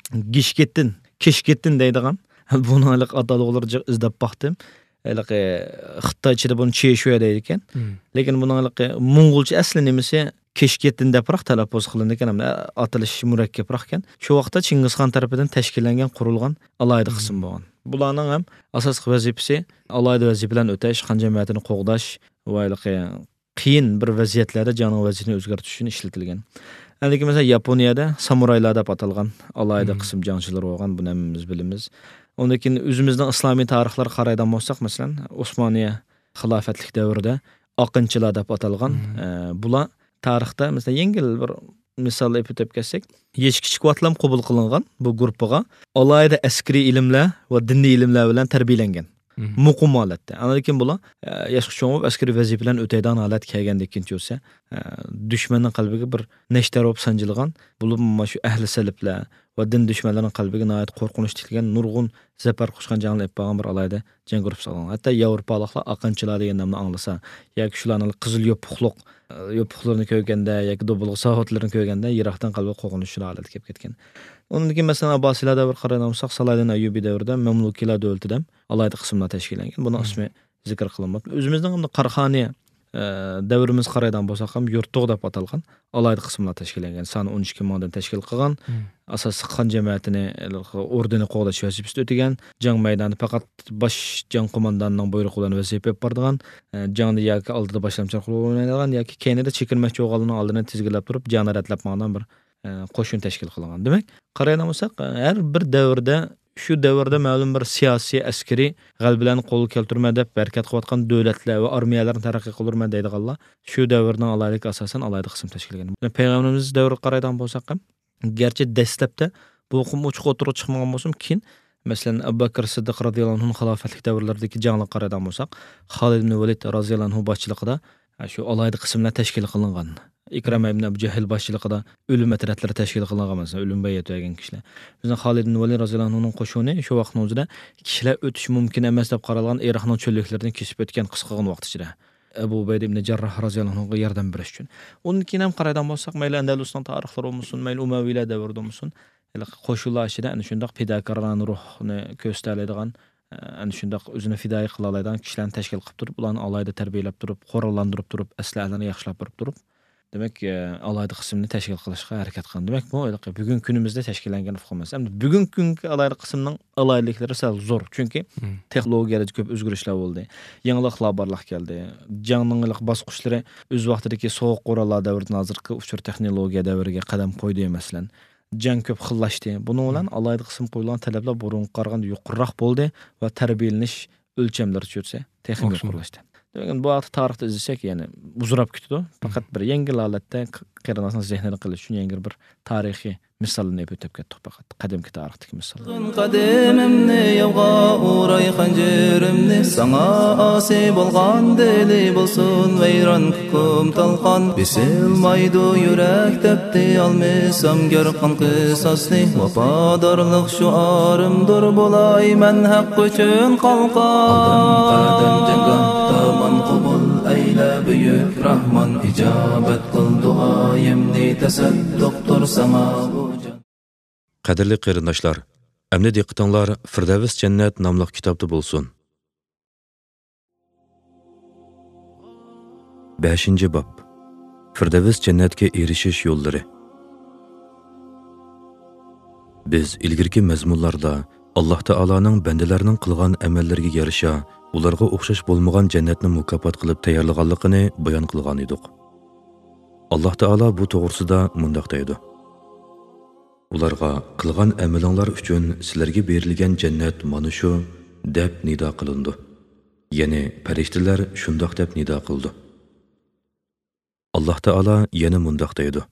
گىشكېتىن، كېشكېتىن دەيدىغان، بۇنىڭ ھېلىقى ئاتالغۇلىرى جىق ئىزدەپ باقتىم. ھېلىقى خىتايچىدا بۇنى چېشۈە دەيدىكەن. مم. لېكىن بۇنىڭ ھېلىقى موڭغۇلچە ئەسلى نېمىسى كېشكېتىن دەپراق تەلەپپۇز قىلىنىدىكەن، ھەم ئاتىلىش مۇرەككەپراقكەن. شۇ ۋاقىتتا چىڭگىزخان تەرىپىدىن تەشكىللەنگەن، قۇرۇلغان ئالاھىدە قىسىم بولغان. بۇلارنىڭ ھەم ئاساسلىق ۋەزىپىسى ئالاھىدە ۋەزىپىلەرنى ئۆتەش، خان جەمەتىنى قوغداش ۋە ھېلىقى قىيىن بىر ۋەزىيەتلەردە جەڭنىڭ ۋەزىيىتىنى ئۆزگەرتىش ئۈچۈن ئىشلىتىلگەن. ئەندىكى مەسىلەن، ياپونىيەدە سامۇرايلار دەپ ئاتالغان ئالاھىدە قىسىم جەڭچىلىرى بولغان، بۇنى ھەممىمىز بىلىمىز. ئۇندىن كېيىن ئۆزىمىزنىڭ ئىسلامىي تارىخلىرىغا قارايدىغان بولساق، مەسىلەن، ئوسمانىيە خىلاپەتلىك دەۋرىدە ئاقىنچىلار دەپ ئاتالغان، ئە، بۇلار تارىختا، مەسىلەن، يەڭگىل بىر مىسال ئېلىپ ئۆتۈپ كەتسەك، يېشى كىچىك ۋاقىتلام قوبۇل قىلىنغان بۇ گۇرۇپپىغا ئالاھىدە ئەسكىرىي ئىلىملەر ۋە دىنىي ئىلىملەر بىلەن تەربىيەلەنگەن. مۇقىم ھالەتتە. ئاندىن كېيىن بۇلار، ئە، ياشقا چوڭ بولۇپ، ئەسكىرىي ۋەزىپىلەرنى ئۆتەيدىغان ھالەتكە كەلگەندىن كېيىن چۈشسە، ئە، دۈشمەننىڭ قەلبىگە بىر نەشتەر بولۇپ سانجىلغان، بولۇپمۇ مانا شۇ ئەھلى سەلىپلەر ۋە دىن دۈشمەنلىرىنىڭ قەلبىگە ناھايىتى قورقۇنچ تىكلىگەن نۇرغۇن زەپەر قۇچقان جەڭلەر ئېلىپ بارغان بىر ئالاھىدە جەڭ گۇرۇپپىسى قىلغان. ھەتتا ياۋروپالىقلار ئاقىنچىلار دېگەن نامنى ئاڭلىسا ياكى شۇلارنىڭ قىزىل يوپۇقلۇق، ئە، يوپۇقلىرىنى كۆرگەندە ياكى دوبۇلغا ساۋۇتلىرىنى كۆرگەندە يىراقتىن قەلبى قورقۇنچلۇق ھالەتكە كېلىپ كەتكەن. ئۇنىڭدىن كېيىن، مەسىلەن، ئابباسىيلار دەۋرىگە قارايدىغان بولساق، سالاھىدىن ئەييۇبى دەۋرىدە مەملۇكىيلار دۆلىتى دەپ ئالاھىدە قىسىملار تەشكىللەنگەن. بۇنىڭ ئىسمى زىكىر قىلىنماپتۇ. ئۆزىمىزنىڭ ئەمدى قاراخانىيە ئە، دەۋرىمىزگە قارايدىغان بولساق ھەم يۇرتۇغ دەپ ئاتالغان ئالاھىدە قىسىملار تەشكىللەنگەن. سانى ئون ئىككى مىڭدىن تەشكىل قىلغان. مم. ئاساسلىق خان جەمەتىنى، ئوردىنى قوغداش ۋەزىپىسىنى ئۆتىگەن. جەڭ مەيدانىدا پەقەت باش جەڭ قوماندانىنىڭ بۇيرۇقى بىلەن ۋەزىپە ئېلىپ بارىدىغان، ئە، جەڭدە ياكى ئالدىدا باشلامچىلىق رولىنى ئوينايدىغان ياكى كەينىدە چېكىنمەكچى بولغانلارنىڭ ئالدىنى تىزگىنلەپ تۇرۇپ، جەڭنى رەتلەپ ماڭىدىغان بىر، ئە، قوشۇن تەشكىل قىلغان. دېمەك، قارايدىغان بولساق، ھەر بىر دەۋردە، شۇ دەۋردە مەلۇم بىر سىياسىي، ئەسكىرىي غەلىبىلەرنى قولغا كەلتۈرىمەن دەپ ھەرىكەت قىلىۋاتقان دۆلەتلەر ۋە ئارمىيەلەرنى تەرەققىي قىلدۇرىمەن دەيدىغانلار شۇ دەۋرنىڭ ئالاھىدىلىكى ئاساسەن ئالاھىدە قىسىم تەشكىللىگەن. پەيغەمبىرىمىز دەۋرىگە قارايدىغان بولساق ھەم، گەرچە دەسلەپتە بۇ ئۇقۇم ئوچۇق ئوتتۇرىغا چىقمىغان بولسىمۇ، كېيىن، مەسىلەن، ئەبۇ بەكىر سىددىق رازىياللاھۇ ئەنھۇنىڭ خىلاپەتلىك دەۋرلىرىدىكى جەڭلەرگە قارايدىغان بولساق، خالىد ئىبن ۋەلىد رازىياللاھۇ ئەنھۇ باشچىلىقىدا، ھە، شۇ ئالاھىدە قىسىملار تەشكىل قىلىنغان. ئىكرىمە ئىبن ئەبۇ جەھىل باشچىلىقىدا ئۆلۈم ئەترەتلىرى تەشكىل قىلىنغان، مەسىلەن، ئۆلۈم بەيئەت بەرگەن كىشىلەر. بىزنىڭ خالىد ئىبن ۋەلىد رازىياللاھۇ ئەنھۇنىڭ قوشۇنى شۇ ۋاقىتنىڭ ئۆزىدە كىشىلەر ئۆتۈشى مۇمكىن ئەمەس دەپ قارالغان ئىراقنىڭ چۆللۈكلىرىنى كېسىپ ئۆتكەن قىسقىغىنە ۋاقىت ئىچىدە. ئەبۇ ئۇبەيدە ئىبن جەرراھ رازىياللاھۇ ئەنھۇغا ياردەم بېرىش ئۈچۈن. ئۇندىن كېيىن ھەم قارايدىغان بولساق، مەيلى ئەندەلۇسنىڭ تارىخلىرى بولمىسۇن، مەيلى ئۇمەۋىيلەر دەۋرىدە بولمىسۇن، ھېلىقى قوشۇنلار ئىچىدە ئەنە شۇنداق پىداكارانە روھنى كۆرسىتەلەيدىغان، ئەنە شۇنداق ئۆزىنى پىدائىي قىلالايدىغان كىشىلەرنى تەشكىل قىلىپ تۇرۇپ، ئۇلارنى ئالاھىدە تەربىيەلەپ تۇرۇپ، قوراللاندۇرۇپ تۇرۇپ، ئەسلىھەلەرنى ياخشىلاپ بېرىپ تۇرۇپ، دېمەك، ئالاھىدە قىسىمنى تەشكىل قىلىشقا ھەرىكەت قىلغان. دېمەك، بۇ ھېلىقى بۈگۈنكى كۈنىمىزدە تەشكىللەنگەن ئۇقۇم ئەمەس. ئەمدى بۈگۈنكى كۈنگە ئالاھىدە قىسىمنىڭ ئالاھىدىلىكلىرى سەل زور. چۈنكى مم. تېخنولوگىيەدە كۆپ ئۆزگىرىشلەر بولدى. يېڭىلىقلار بارلىققا كەلدى. جەڭنىڭ ھېلىقى باسقۇچلىرى ئۆز ۋاقتىدىكى سوغۇق قوراللار دەۋرىدىن ھازىرقى ئۇچۇر تېخنولوگىيە دەۋرىگە قەدەم قويدى، مەسىلەن. جەڭ كۆپ خىللاشتى. بۇنىڭ بىلەن مم. ئالاھىدە قىسىم قويۇلغان تەلەپلەر بۇرۇنقىغا قارىغاندا يۇقىرىراق بولدى ۋە تەربىيەلىنىش ئۆلچەملىرى چۈشۈرسە، تېخىمۇ يۇقىرىلاشتى. دېمەك، بۇ ھەقتە تارىختا ئىزدىسەك، يەنى ئۇزىراپ كېتىدۇ. پەقەت بىر يەڭگىل ھالەتتە ق-، قېرىنداشنىڭ زېھنىنى قىلىش ئۈچۈن يەنە بىر تارىخىي مىسالنى ئۆتۈپ كەتتۇق پەقەت. قەدىمكى تارىختىكى مىسال. قەدىمىمنى ياۋغا ئۇراي خەنجىرىمنى، ساڭا ئاسىي بولغان دىلى بولسۇن ۋەيران. كۇم تالقان بېسىلمايدۇ يۈرەك، دەپتى ئالمىسام گەر قان قىساسنى. ۋاپادارلىق شوئارىمدۇر بولاي مەن ھەق ئۈچۈن قالقان. ئالدىم قەدەم جەڭگاھ، دامان قوبۇل ئەيلە بۈيۈك راھمان. ئىجابەت قىل دۇئايىمنى، تەسەددۇقتۇر ساڭا بۇ جان. قەدىرلىك قېرىنداشلار، ئەمدى دىققىتىڭلار فىردەۋس جەننەت ناملىق كىتابتا بولسۇن. بەشىنچى باب. فىردەۋس جەننەتكە ئېرىشىش يوللىرى. بىز ئىلگىرىكى مەزمۇنلاردا ئاللاھ تائالانىڭ بەندىلەرنىڭ قىلغان ئەمەللىرىگە يارىشا ئۇلارغا ئوخشاش بولمىغان جەننەتنى مۇكاپات قىلىپ تەييارلىغانلىقىنى بايان قىلغانىدۇق. ئاللاھ تائالا بۇ توغرىسىدا مۇنداق دەيدۇ: ئۇلارغا قىلغان ئەمىلىڭلار ئۈچۈن سىلەرگە بېرىلگەن جەننەت مانا شۇ، دەپ نىدا قىلىنىدۇ. يەنى پەرىشتىلەر شۇنداق دەپ نىدا قىلىدۇ. ئاللاھ تائالا يەنە مۇنداق دەيدۇ: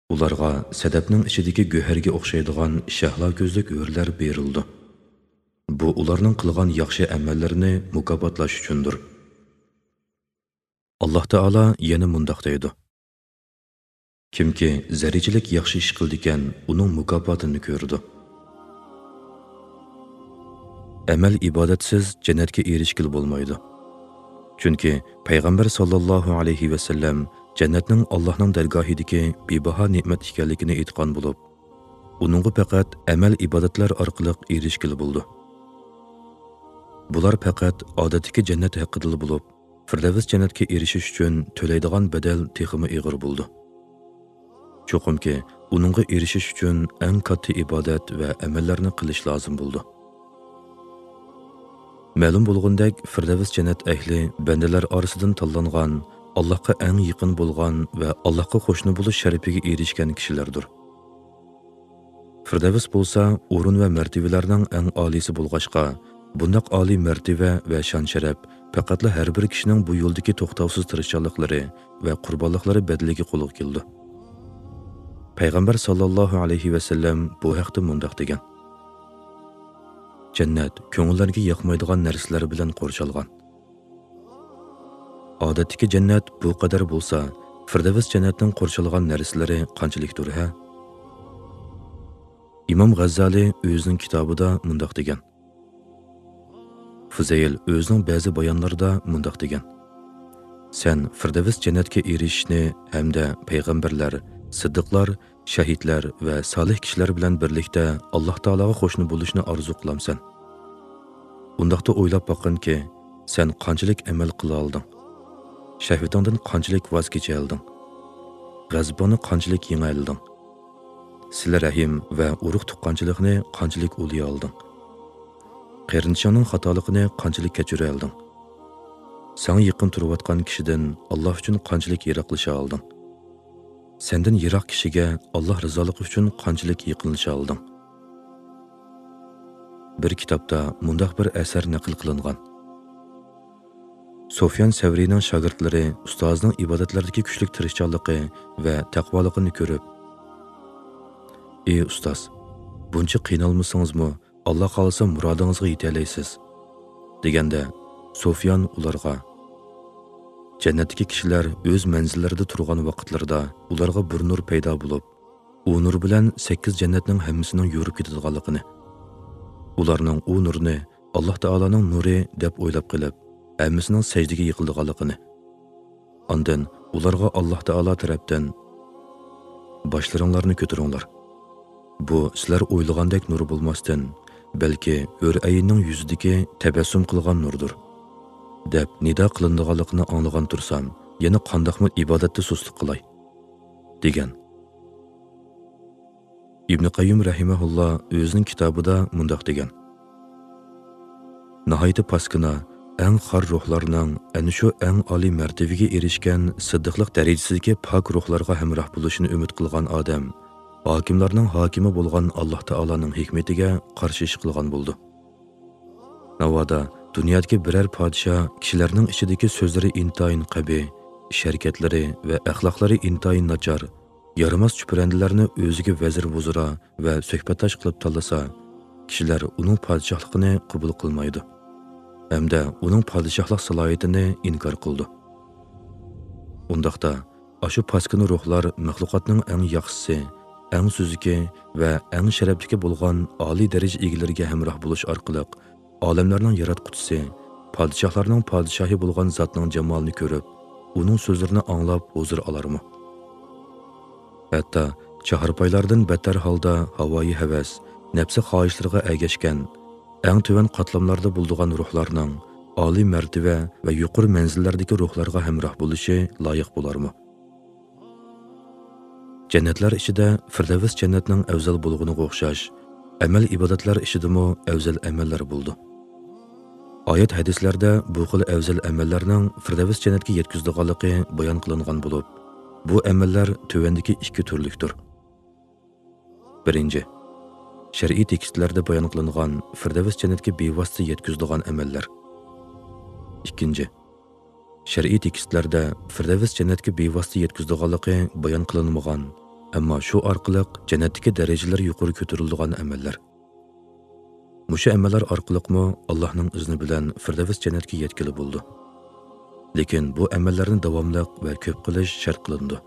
ئۇلارغا سەدەپنىڭ ئىچىدىكى گۆھەرگە ئوخشايدىغان شەھلا كۆزلۈك ھۆرلەر بېرىلىدۇ. بۇ ئۇلارنىڭ قىلغان ياخشى ئەمەللىرىنى مۇكاپاتلاش ئۈچۈندۇر. ئاللاھ تائالا يەنە مۇنداق دەيدۇ: كىمكى زەررىچىلىك ياخشى ئىش قىلىدىكەن، ئۇنىڭ مۇكاپاتىنى كۆرىدۇ. ئەمەل ئىبادەتسىز جەننەتكە ئېرىشكىلى بولمايدۇ. چۈنكى پەيغەمبەر ساللاللاھۇ ئەلەيھى ۋەسەللەم جەننەتنىڭ ئاللاھنىڭ دەرگاھىدىكى بىباھا نېمەت ئىكەنلىكىنى ئېيتقان بولۇپ، ئۇنىڭغا پەقەت ئەمەل ئىبادەتلەر ئارقىلىق ئېرىشكىلى بولىدۇ. بۇلار پەقەت ئادەتتىكى جەننەت ھەققىدىلا بولۇپ، فىردەۋس جەننەتكە ئېرىشىش ئۈچۈن تۆلەيدىغان بەدەل تېخىمۇ ئېغىر بولىدۇ. چوقۇمكى، ئۇنىڭغا ئېرىشىش ئۈچۈن ئەڭ كاتتا ئىبادەت ۋە ئەمەللەرنى قىلىش لازىم بولىدۇ. مەلۇم بولغىنىدەك، فىردەۋس جەننەت ئەھلى بەندىلەر ئارىسىدىن تاللانغان، ئاللاھقا ئەڭ يېقىن بولغان ۋە ئاللاھقا قوشنا بولۇش شەرىپىگە ئېرىشكەن كىشىلەردۇر. فىردەۋس بولسا ئورۇن ۋە مەرتىۋىلەرنىڭ ئەڭ ئالىيسى بولغاچقا، بۇنداق ئالىي مەرتىۋە ۋە شان-شەرەپ پەقەتلا ھەر بىر كىشىنىڭ بۇ يولدىكى توختاۋسىز تىرىشچانلىقلىرى ۋە قۇربانلىقلىرى بەدىلىگە قولغا كېلىدۇ. پەيغەمبەر ساللاللاھۇ ئەلەيھى ۋەسەللەم بۇ ھەقتە مۇنداق دېگەن: جەننەت كۆڭۈللەرگە ياقمايدىغان نەرسىلەر بىلەن قورشالغان. ئادەتتىكى جەننەت بۇ قەدەر بولسا، فىردەۋس جەننەتنىڭ قورشالغان نەرسىلىرى قانچىلىكتۇر ھە؟ ئىمام غەززالى ئۆزىنىڭ كىتابىدا مۇنداق دېگەن. فۇزەيل ئۆزىنىڭ بەزى بايانلىرىدا مۇنداق دېگەن: سەن فىردەۋس جەننەتكە ئېرىشىشنى ھەمدە پەيغەمبەرلەر، سىددىقلار، شەھىدلەر ۋە سالىھ كىشىلەر بىلەن بىرلىكتە ئاللاھ تائالاغا قوشنا بولۇشنى ئارزۇ قىلامسەن؟ ئۇنداقتا ئويلاپ باققىنكى، سەن قانچىلىك ئەمەل قىلالىدىڭ؟ شەھۋىتىڭدىن قانچىلىك ۋاز كېچەلىدىڭ؟ غەزىپىڭنى قانچىلىك يېڭەلىدىڭ؟ سىلە رەھىم ۋە ئۇرۇق تۇغقانچىلىقنى قانچىلىك ئۇلىيالدىڭ؟ قېرىندىشىڭنىڭ خاتالىقىنى قانچىلىك كەچۈرەلدىڭ؟ ساڭا يېقىن تۇرۇۋاتقان كىشىدىن ئاللا ئۈچۈن قانچىلىك يىراقلىشالدىڭ؟ سەندىن يىراق كىشىگە ئاللا رىزالىقى ئۈچۈن قانچىلىك يېقىنلىشالدىڭ؟ بىر كىتابتا مۇنداق بىر ئەسەر نەقىل قىلىنغان. سۇفيان سەۋرىينىڭ شاگىرتلىرى ئۇستازىنىڭ ئىبادەتلەردىكى كۈچلۈك تىرىشچانلىقى ۋە تەقۋالىقىنى كۆرۈپ، «ئى ئۇستاز، بۇنچە قىينالمىسىڭىزمۇ، ئاللا خالىسا مۇرادىڭىزغا يېتەلەيسىز» دېگەندە، سۇفيان ئۇلارغا، «جەننەتتىكى كىشىلەر ئۆز مەنزىللىرىدە تۇرغان ۋاقىتلىرىدا ئۇلارغا بىر نۇر پەيدا بولۇپ، ئۇ نۇر بىلەن سەككىز جەننەتنىڭ ھەممىسىنىڭ يورۇپ كېتىدىغانلىقىنى، ئۇلارنىڭ ئۇ نۇرنى ئاللا تائالانىڭ نۇرى دەپ ئويلاپ قېلىپ، ھەممىسىنىڭ سەجدىگە يىقىلىدىغانلىقىنى، ئاندىن ئۇلارغا ئاللا تائالا تەرەپتىن، باشلىرىڭلارنى كۆتۈرۈڭلار، بۇ سىلەر ئويلىغاندەك نۇر بولماستىن، بەلكى ھۆر ئەيننىڭ يۈزىدىكى تەبەسسۇم قىلغان نۇردۇر» دەپ نىدا قىلىنىدىغانلىقىنى ئاڭلىغان تۇرسام، يەنە قانداقمۇ ئىبادەتتە سۇسلۇق قىلاي؟ دېگەن. ئىبنى قەييىم رەھىمەھۇللا ئۆزىنىڭ كىتابىدا مۇنداق دېگەن: ناھايىتى پاسكىنا، ئەڭ خار روھلارنىڭ ئەنە شۇ ئەڭ ئالىي مەرتىۋىگە ئېرىشكەن سىددىقلىق دەرىجىسىدىكى پاك روھلارغا ھەمراھ بولۇشنى ئۈمىد قىلغان ئادەم ھاكىملارنىڭ ھاكىمى بولغان ئاللا تائالانىڭ ھېكمىتىگە قارشى ئىش قىلغان بولىدۇ. ناۋادا دۇنيادىكى بىرەر پادىشاھ كىشىلەرنىڭ ئىچىدىكى سۆزلىرى ئىنتايىن قەبىھ، ئىش-ھەرىكەتلىرى ۋە ئەخلاقلىرى ئىنتايىن ناچار، يارىماس چۈپرەندىلەرنى ئۆزىگە ۋەزىر-ۋۇزرا ۋە سۆھبەتداش قىلىپ تاللىسا، كىشىلەر ئۇنىڭ پادىشاھلىقىنى قوبۇل قىلمايدۇ ھەمدە ئۇنىڭ پادىشاھلىق سالاھىيىتىنى ئىنكار قىلىدۇ. ئۇنداقتا، ئاشۇ پاسكىنا روھلار مەخلۇقاتنىڭ ئەڭ ياخشىسى، ئەڭ سۈزۈكى ۋە ئەڭ شەرەپلىكى بولغان ئالىي دەرىجە ئىگىلىرىگە ھەمراھ بولۇش ئارقىلىق ئالەملەرنىڭ ياراتقۇچىسى، پادىشاھلارنىڭ پادىشاھى بولغان زاتنىڭ جامالىنى كۆرۈپ، ئۇنىڭ سۆزلىرىنى ئاڭلاپ ھۇزۇر ئالارمۇ؟ ھەتتا چاھارپايلاردىن بەتتەر ھالدا ھاۋايى ھەۋەس، نەپسى خاھىشلىرىغا ئەگەشكەن، ئەڭ تۆۋەن قاتلاملاردا بولىدىغان روھلارنىڭ ئالىي مەرتىۋە ۋە يۇقىرى مەنزىللەردىكى روھلارغا ھەمراھ بولۇشى لايىق بولارمۇ؟ جەننەتلەر ئىچىدە فىردەۋس جەننەتنىڭ ئەۋزەل بولغىنىغا ئوخشاش، ئەمەل-ئىبادەتلەر ئىچىدىمۇ ئەۋزەل ئەمەللەر بولىدۇ. ئايەت ھەدىسلەردە بۇ خىل ئەۋزەل ئەمەللەرنىڭ فىردەۋس جەننەتكە يەتكۈزىدىغانلىقى بايان قىلىنغان بولۇپ، بۇ ئەمەللەر تۆۋەندىكى ئىككى تۈرلۈكتۇر. بىرىنچى، شەرئىي تېكىستلەردە بايان قىلىنغان فىردەۋس جەننەتكە بىۋاسىتە يەتكۈزىدىغان ئەمەللەر. ئىككىنچى، شەرئىي تېكىستلەردە فىردەۋس جەننەتكە بىۋاسىتە يەتكۈزىدىغانلىقى بايان قىلىنمىغان، ئەمما شۇ ئارقىلىق جەننەتتىكى دەرىجىلەر يۇقىرى كۆتۈرۈلىدىغان ئەمەللەر. مۇشۇ ئەمەللەر ئارقىلىقمۇ ئاللاھنىڭ ئىزنى بىلەن فىردەۋس جەننەتكە يەتكىلى بولىدۇ. لېكىن بۇ ئەمەللەرنى داۋاملىق ۋە كۆپ قىلىش شەرت قىلىنىدۇ.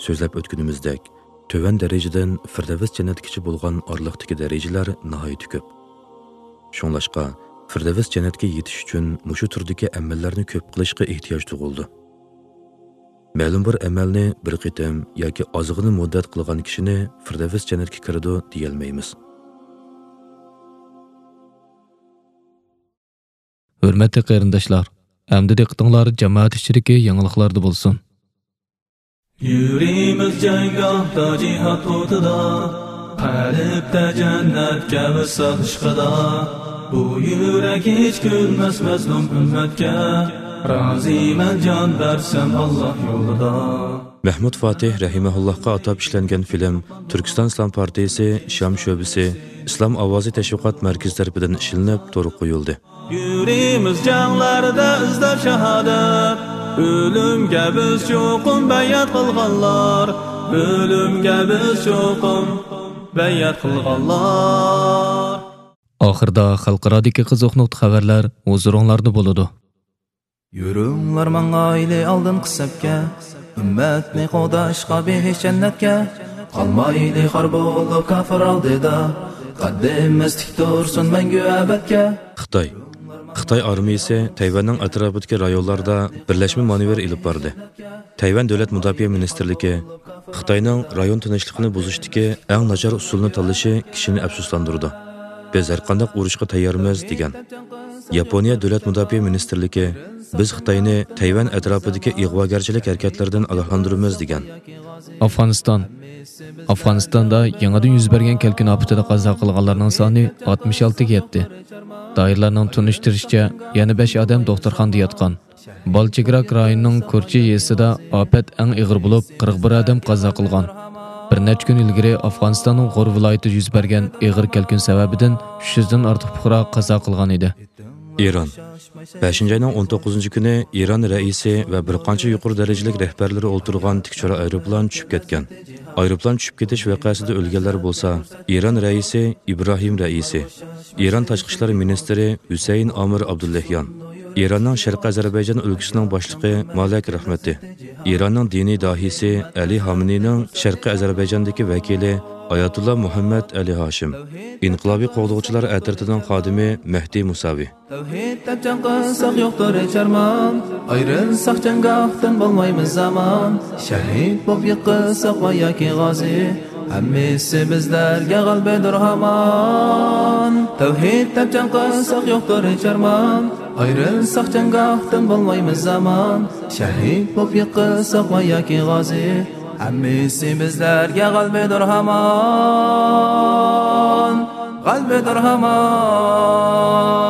سۆزلەپ ئۆتكىنىمىزدەك، تۆۋەن دەرىجىدىن فىردەۋس جەننەتكىچە بولغان ئارىلىقتىكى دەرىجىلەر ناھايىتى كۆپ. شۇڭلاشقا، فىردەۋس جەننەتكە يېتىش ئۈچۈن مۇشۇ تۈردىكى ئەمەللەرنى كۆپ قىلىشقا ئېھتىياج تۇغۇلىدۇ. مەلۇم بىر ئەمەلنى بىر قېتىم ياكى ئازغىنە مۇددەت قىلغان كىشىنى فىردەۋس جەننەتكە كىرىدۇ دېيەلمەيمىز. ھۆرمەتلىك قېرىنداشلار، ئەمدى دىققىتىڭلار جامائەت ئىچىدىكى يېڭىلىقلاردا بولسۇن. يۈرىمىز جەڭگاھتا جىھاد ئوتىدا، قەلبتە جەننەتكە ۋىسال ئىشقىدا. بۇ يۈرەك ھېچ كۈلمەس مەزلۇم ئۈممەتكە، رازىمەن جان بەرسەم ئاللا يولىدا. مەھمۇد فاتىھ رەھىمەھۇللاھقا ئاتاپ ئىشلەنگەن فىلىم تۈركىستان ئىسلام پارتىيىسى شام شۆبىسى ئىسلام ئاۋازى تەشۋىقات مەركىزى تەرىپىدىن ئىشلىنىپ تورغا قويۇلدى. يۈرىمىز جەڭلەردە ئىزدەپ شاھادەت، ئۆلۈمگە بىز چوقۇم بەيئەت قىلغانلار، ئۆلۈمگە بىز چوقۇم بەيئەت قىلغانلار. ئاخىردا خەلقئارادىكى قىزىق نۇقتا خەۋەرلەر ھۇزۇرۇڭلاردا بولىدۇ. يۈرۈڭلار ماڭايلى ئالدىنقى سەپكە، ئۈممەتنى قوغداشقا بېھىش جەننەتكە. قالمايلى خار بولۇپ كاپىر ئالدىدا، قەددىمىز تىك تۇرسۇن مەڭگۈ ئەبەدكە. خىتاي. خىتاي ئارمىيىسى تەيۋەننىڭ ئەتراپىدىكى رايونلاردا بىرلەشمە مانېۋىر ئېلىپ باردى. تەيۋەن دۆلەت مۇداپىئە مىنىستىرلىكى خىتاينىڭ رايون تىنچلىقىنى بۇزۇشتىكى ئەڭ ناچار ئۇسۇلنى تاللىشى كىشىنى ئەپسۇسلاندۇرىدۇ. بىز ھەرقانداق ئۇرۇشقا تەييارمىز، دېگەن. ياپونىيە دۆلەت مۇداپىئە مىنىستىرلىكى، بىز خىتاينى تەيۋەن ئەتراپىدىكى ئىغۋاگەرچىلىك ھەرىكەتلىرىدىن ئاگاھلاندۇرىمىز، دېگەن. ئافغانىستان. ئافغانىستاندا يېڭىدىن يۈز بەرگەن كەلكۈن ئاپىتىدە قازا قىلغانلارنىڭ سانى ئاتمىش ئالتىگە يەتتى. دائىرىلەرنىڭ تونۇشتۇرۇشىچە، يەنە بەش ئادەم دوختۇرخانىدا ياتقان. بالچىگراك رايونىنىڭ كۇرچى يېزىسىدا ئاپەت ئەڭ ئېغىر بولۇپ، قىرىق بىر ئادەم قازا قىلغان. بىر نەچچە كۈن ئىلگىرى ئافغانىستاننىڭ غور ۋىلايىتىدە يۈز بەرگەن ئېغىر كەلكۈن سەۋەبىدىن ئۈچ يۈزدىن ئارتۇق پۇقرا قازا قىلغان ئىدى. ئىران. بەشىنچى ئاينىڭ ئون توققۇزىنچى كۈنى ئىران رەئىسى ۋە بىر قانچە يۇقىرى دەرىجىلىك رەھبەرلىرى ئولتۇرغان تىك چورا ئايروپىلان چۈشۈپ كەتكەن. ئايروپىلان چۈشۈپ كېتىش ۋەقەسىدە ئۆلگەنلەر بولسا، ئىران رەئىسى ئىبراھىم رەئىسى، ئىران تاشقى ئىشلار مىنىستىرى ھۈسەيىن ئامىر ئابدۇللەھيان، ئىراننىڭ شەرقىي ئەزەربەيجان ئۆلكىسىنىڭ باشلىقى مالەك رەھمەتى، ئىراننىڭ دىنىي داھىيسى ئەلى ھامىنىنىڭ شەرقىي ئەزەربەيجاندىكى ۋەكىلى ئاياتۇللا مۇھەممەد ئەلى ھاشىم، ئىنقىلابىي قوغدىغۇچىلار ئەترىتىنىڭ خادىمى مەھدى مۇساۋى. تەۋھىد دەپ جەڭ قىلساق يوقتۇر ھېچ ئارمان، ئايرىلساق جەڭگاھتىن بولمايمىز ئامان، شەھىد بولۇپ يىقىلساق ۋە ياكى غازى، ھەممىسى بىزلەرگە غەلىبىدۇر ھامان. تەۋھىد دەپ جەڭ قىلساق يوقتۇر ھېچ ئارمان، ئايرىلساق جەڭگاھتىن بولمايمىز ئامان، شەھىد بولۇپ يىقىلساق ۋە ياكى غازى، ھەممىسى بىزلەرگە غەلىبىدۇر ھامان، غەلىبىدۇر ھامان.